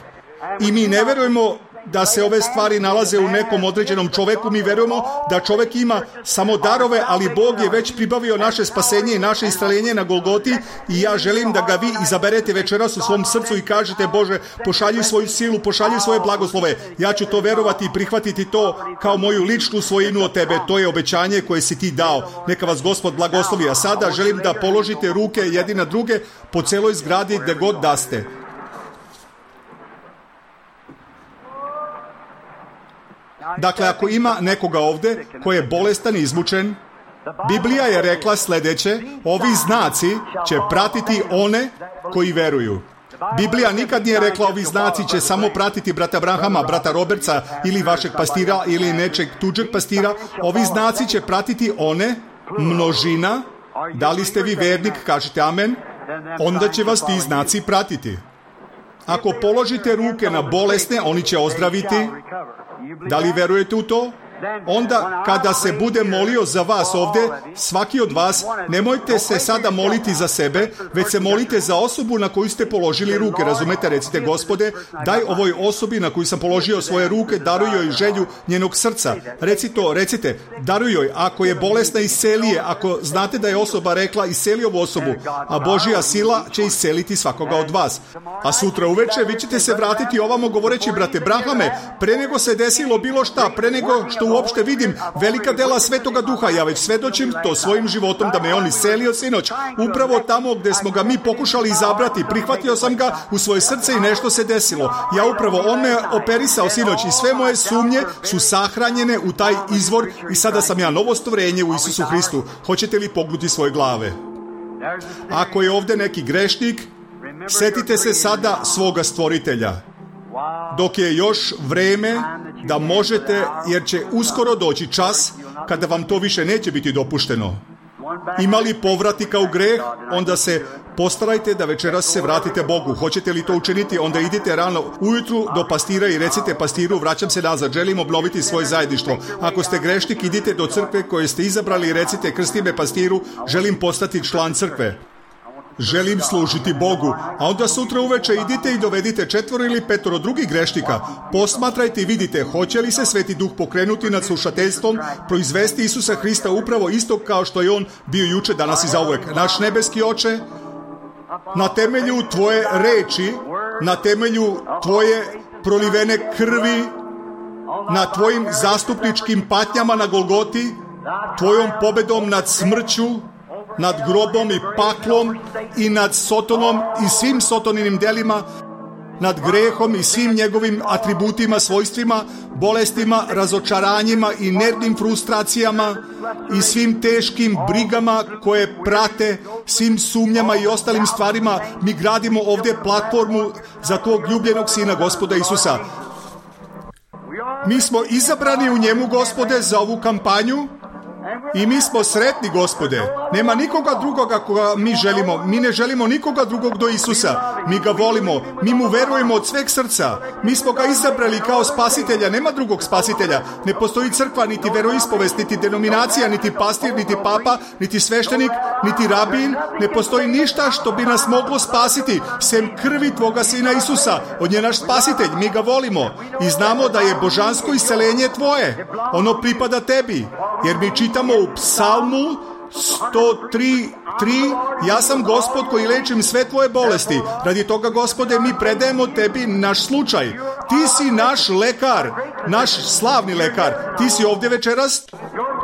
I mi ne verujemo da se ove stvari nalaze u nekom određenom čoveku, mi verujemo da čovek ima samo darove, ali Bog je već pribavio naše spasenje i naše isceljenje na Golgoti i ja želim da ga vi izaberete večeras u svom srcu i kažete: Bože, pošalji svoju silu, pošalji svoje blagoslove. Ja ću to verovati i prihvatiti to kao moju ličnu svojinu od tebe. To je obećanje koje si ti dao. Neka vas Gospod blagoslovi. A sada želim da položite ruke jedni na druge po celoj zgradi gde god da ste. Dakle, ako ima nekoga ovdje koji je bolestan i izmučen, Biblija je rekla sljedeće: ovi znaci će pratiti one koji veruju. Biblija nikad nije rekla ovi znaci će samo pratiti brata Abrahama, brata Robertsa ili vašeg pastira ili nečeg tuđeg pastira. Ovi znaci će pratiti one, množina. Da li ste vi vernik? Kažete amen. Onda će vas ti znaci pratiti. Ako položite ruke na bolesne, oni će ozdraviti. Da li verujete u to? Onda kada se bude molio za vas ovdje, svaki od vas, nemojte se sada moliti za sebe, već se molite za osobu na koju ste položili ruke. Razumete? Recite: Gospode, daj ovoj osobi na koju sam položio svoje ruke, daruj joj želju njenog srca. Reci to, recite, daruj joj. Ako je bolesna, isceli je. Ako znate da je osoba rekla, isceli ovu osobu, a Božja sila će isceliti svakoga od vas. A sutra uveče vi ćete se vratiti ovamo govoreći: brate Abrahame, pre nego se desilo bilo šta, pre nego što što uopšte vidim velika dela Svetoga Duha. Ja već svedočim to svojim životom da me on iselio sinoć. Upravo tamo gde smo ga mi pokušali izabrati, prihvatio sam ga u svoje srce i nešto se desilo. Ja upravo, on me operisao sinoć i sve moje sumnje su sahranjene u taj izvor i sada sam ja novo stvorenje u Isusu Hristu. Hoćete li pognuti svoje glave? Ako je ovde neki grešnik, setite se sada svoga stvoritelja. Dok je još vreme da možete, jer će uskoro doći čas kada vam to više neće biti dopušteno. Ima li povratika u greh, onda se postarajte da večeras se vratite Bogu. Hoćete li to učiniti, onda idite rano ujutru do pastira i recite pastiru, vraćam se nazad, želim obnoviti svoje zajedništvo. Ako ste grešnik, idite do crkve koje ste izabrali i recite, krsti me pastiru, želim postati član crkve. Želim služiti Bogu. A onda sutra uveče idite i dovedite četvoro ili petoro drugih grešnika. Posmatrajte i vidite hoće li se Sveti Duh pokrenuti nad slušateljstvom, proizvesti Isusa Hrista upravo isto kao što je on bio juče, danas i zauvek. Naš nebeski Oče, na temelju Tvoje reči, na temelju Tvoje prolivene krvi, na Tvojim zastupničkim patnjama na Golgoti, Tvojom pobedom nad smrću, nad grobom i paklom i nad Sotonom i svim Sotoninim delima, nad grehom i svim njegovim atributima, svojstvima, bolestima, razočaranjima i nervnim frustracijama i svim teškim brigama koje prate, svim sumnjama i ostalim stvarima. Mi gradimo ovdje platformu za tog ljubljenog Sina Gospoda Isusa. Mi smo izabrani u njemu, Gospode, za ovu kampanju. I mi smo sretni, Gospode. Nema nikoga drugoga koga mi želimo. Mi ne želimo nikoga drugog do Isusa. Mi ga volimo. Mi mu verujemo od sveg srca. Mi smo ga izabrali kao spasitelja. Nema drugog spasitelja. Ne postoji crkva, niti veroispovest, niti denominacija, niti pastir, niti papa, niti sveštenik, niti rabin. Ne postoji ništa što bi nas moglo spasiti, sem krvi Tvoga Sina Isusa. On je naš spasitelj. Mi ga volimo. I znamo da je božansko isceljenje Tvoje. Ono pripada Tebi. Jer mi čitamo u Psalmu sto tri tri, ja sam Gospod koji lečim sve Tvoje bolesti. Radi toga, Gospode, mi predajemo Tebi naš slučaj. Ti si naš lekar, naš slavni lekar. Ti si ovdje večeras.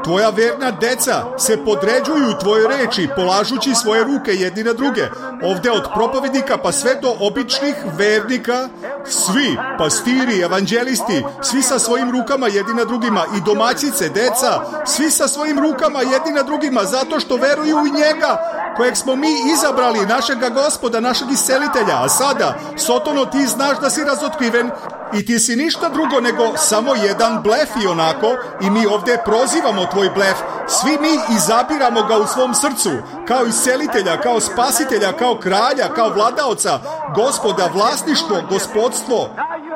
Tvoja verna deca se podređuju Tvojoj reči, polažući svoje ruke jedni na druge. Ovdje od propovednika pa sve do običnih vernika, svi, pastiri, evanđelisti, svi sa svojim rukama jedni na drugima, i domaćice, deca, svi sa svojim rukama jedni na drugima, zato što veruju u njega, kojeg smo mi izabrali, našega Gospoda, našeg iscelitelja. A sada, Sotono, ti znaš da si razotkriven i ti si ništa drugo nego samo jedan blef i onako, i mi ovdje prozivamo tvoj blef. Svi mi izabiramo ga u svom srcu, kao iscelitelja, kao spasitelja, kao kralja, kao vladaoca, Gospoda, vlasništvo, gospodstvo.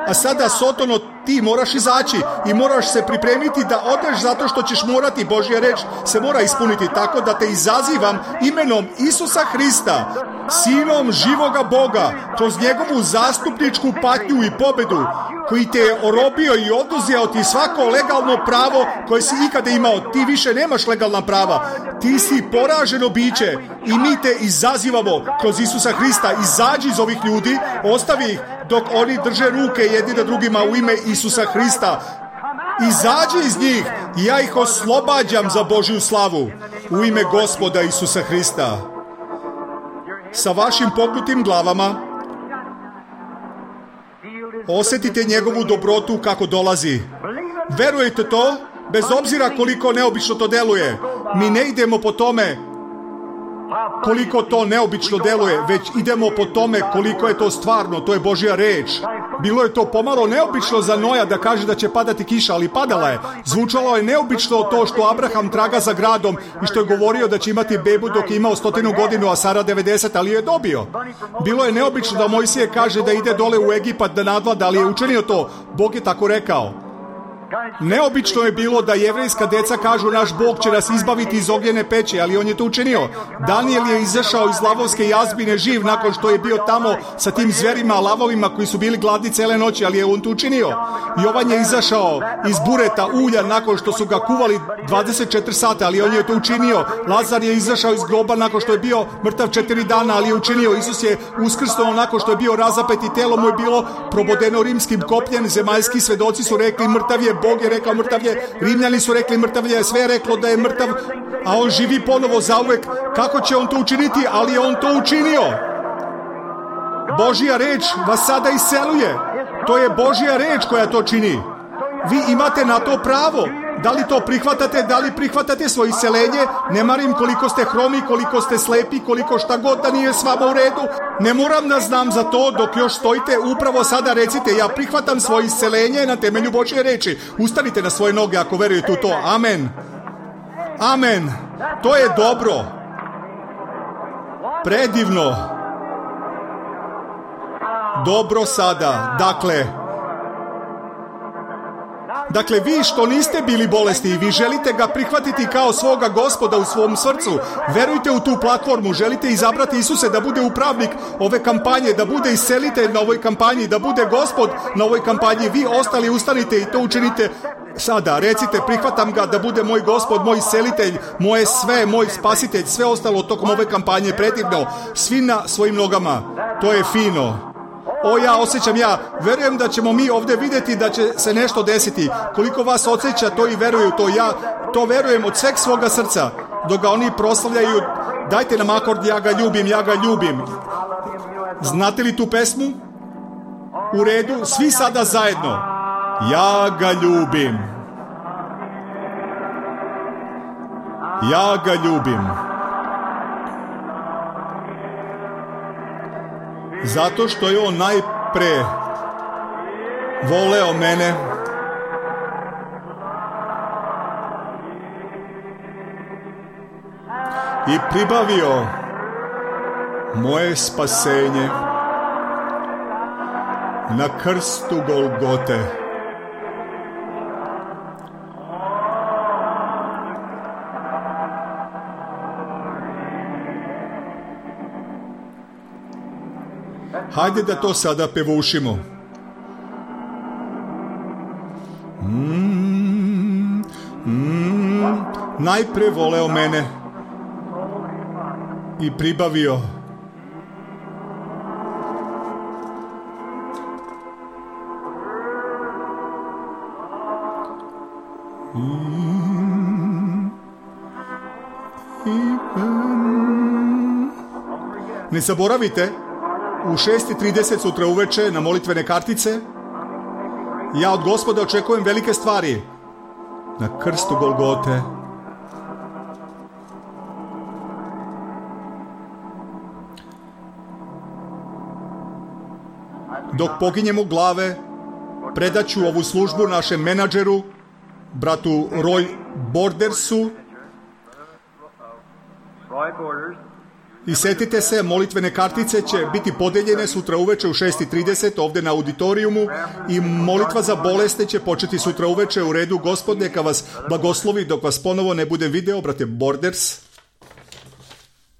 A sada, Sotono, ti moraš izaći i moraš se pripremiti da odeš, zato što ćeš morati, Božja reč se mora ispuniti, tako da te izazivam imenom Isusa Hrista, Sinom živoga Boga, kroz njegovu zastupničku patnju i pobedu, koji te je orobio i oduzeo ti svako legalno pravo koje si ikada imao. Ti više nemaš legalna prava. Ti si poraženo biće i mi te izazivamo kroz Isusa Hrista. Izađi iz ovih ljudi, ostavi ih dok oni drže ruke jedni na drugima u ime Isusa Hrista. Izađi iz njih i ja ih oslobađam za Božju slavu u ime Gospoda Isusa Hrista. Sa vašim pognutim glavama osjetite njegovu dobrotu kako dolazi. Verujete to, bez obzira koliko neobično to deluje. Mi ne idemo po tome koliko to neobično deluje, već idemo po tome koliko je to stvarno. To je Božja reč. Bilo je to pomalo neobično za Noja da kaže da će padati kiša, ali padala je. Zvučalo je neobično to što Abraham traga za gradom i što je govorio da će imati bebu dok je imao stotinu godinu, a Sara devedeset, ali je dobio. Bilo je neobično da Mojsije kaže da ide dole u Egipat da nadvlada, ali je učinio to. Bog je tako rekao. Neobično je bilo da jevrejska deca kažu naš Bog će nas izbaviti iz ogljene peći, ali on je to učinio. Daniel je izašao iz lavovske jazbine živ nakon što je bio tamo sa tim zverima, lavovima koji su bili gladni cele noći, ali je on to učinio. Jovan je izašao iz bureta ulja nakon što su ga kuvali dvadeset četiri sata, ali on je to učinio. Lazar je izašao iz groba nakon što je bio mrtav četiri dana, ali je učinio. Isus je uskrsnuo nakon što je bio razapet i telo mu je bilo probodeno rimskim kopljem. Zemaljski svedoci su rekli mrtav je Bog je rekao mrtav je, Rimljani su rekli mrtav je, sve je reklo da je mrtav, a on živi ponovo zauvek. Kako će on to učiniti? Ali je on to učinio. Božja reč vas sada iseluje. To je Božja reč koja to čini. Vi imate na to pravo. Da li to prihvatate, da li prihvatate svoje iseljenje? Ne marim koliko ste hromi, koliko ste slepi, koliko šta god da nije s vama u redu. Ne moram da znam za to dok još stojite. Upravo sada recite, ja prihvatam svoje iseljenje na temelju Božje reči. Ustanite na svoje noge ako verujete u to. Amen. Amen. To je dobro. Predivno. Dobro sada. Dakle, Dakle, vi što niste bili bolesni i vi želite ga prihvatiti kao svoga Gospoda u svom srcu, verujte u tu platformu, želite izabrati Isuse da bude upravnik ove kampanje, da bude iscelitelj na ovoj kampanji, da bude Gospod na ovoj kampanji, vi ostali ustanite i to učinite sada. Recite, prihvatam ga da bude moj Gospod, moj iscelitelj, moje sve, moj spasitelj, sve ostalo tokom ove kampanje, predivno, svi na svojim nogama. To je fino. O, ja osjećam, ja verujem da ćemo mi ovdje vidjeti da će se nešto desiti. Koliko vas osjeća to i veruju to, ja to verujem od sveg svoga srca. Dok ga oni proslavljaju, dajte nam akord, ja ga ljubim, ja ga ljubim. Znate li tu pesmu? U redu, svi sada zajedno. Ja ga ljubim. Ja ga ljubim. Zato što je on najpre voleo mene i pribavio moje spasenje na krstu Golgote. Hajde da to sada pevušimo. Mm, mm, najpre voleo mene i pribavio mm, mm. Ne zaboravite, u šest i trideset sutra uveče na molitvene kartice ja od Gospoda očekujem velike stvari na krstu Golgote. Dok poginjemo glave, predaću ovu službu našem menadžeru, bratu Roy Bordersu. I setite se, molitvene kartice će biti podeljene sutra uveče u šest i trideset ovdje na auditorijumu i molitva za bolesne će početi sutra uveče u redu. Gospod neka vas blagoslovi dok vas ponovo ne budem video, brate Borders.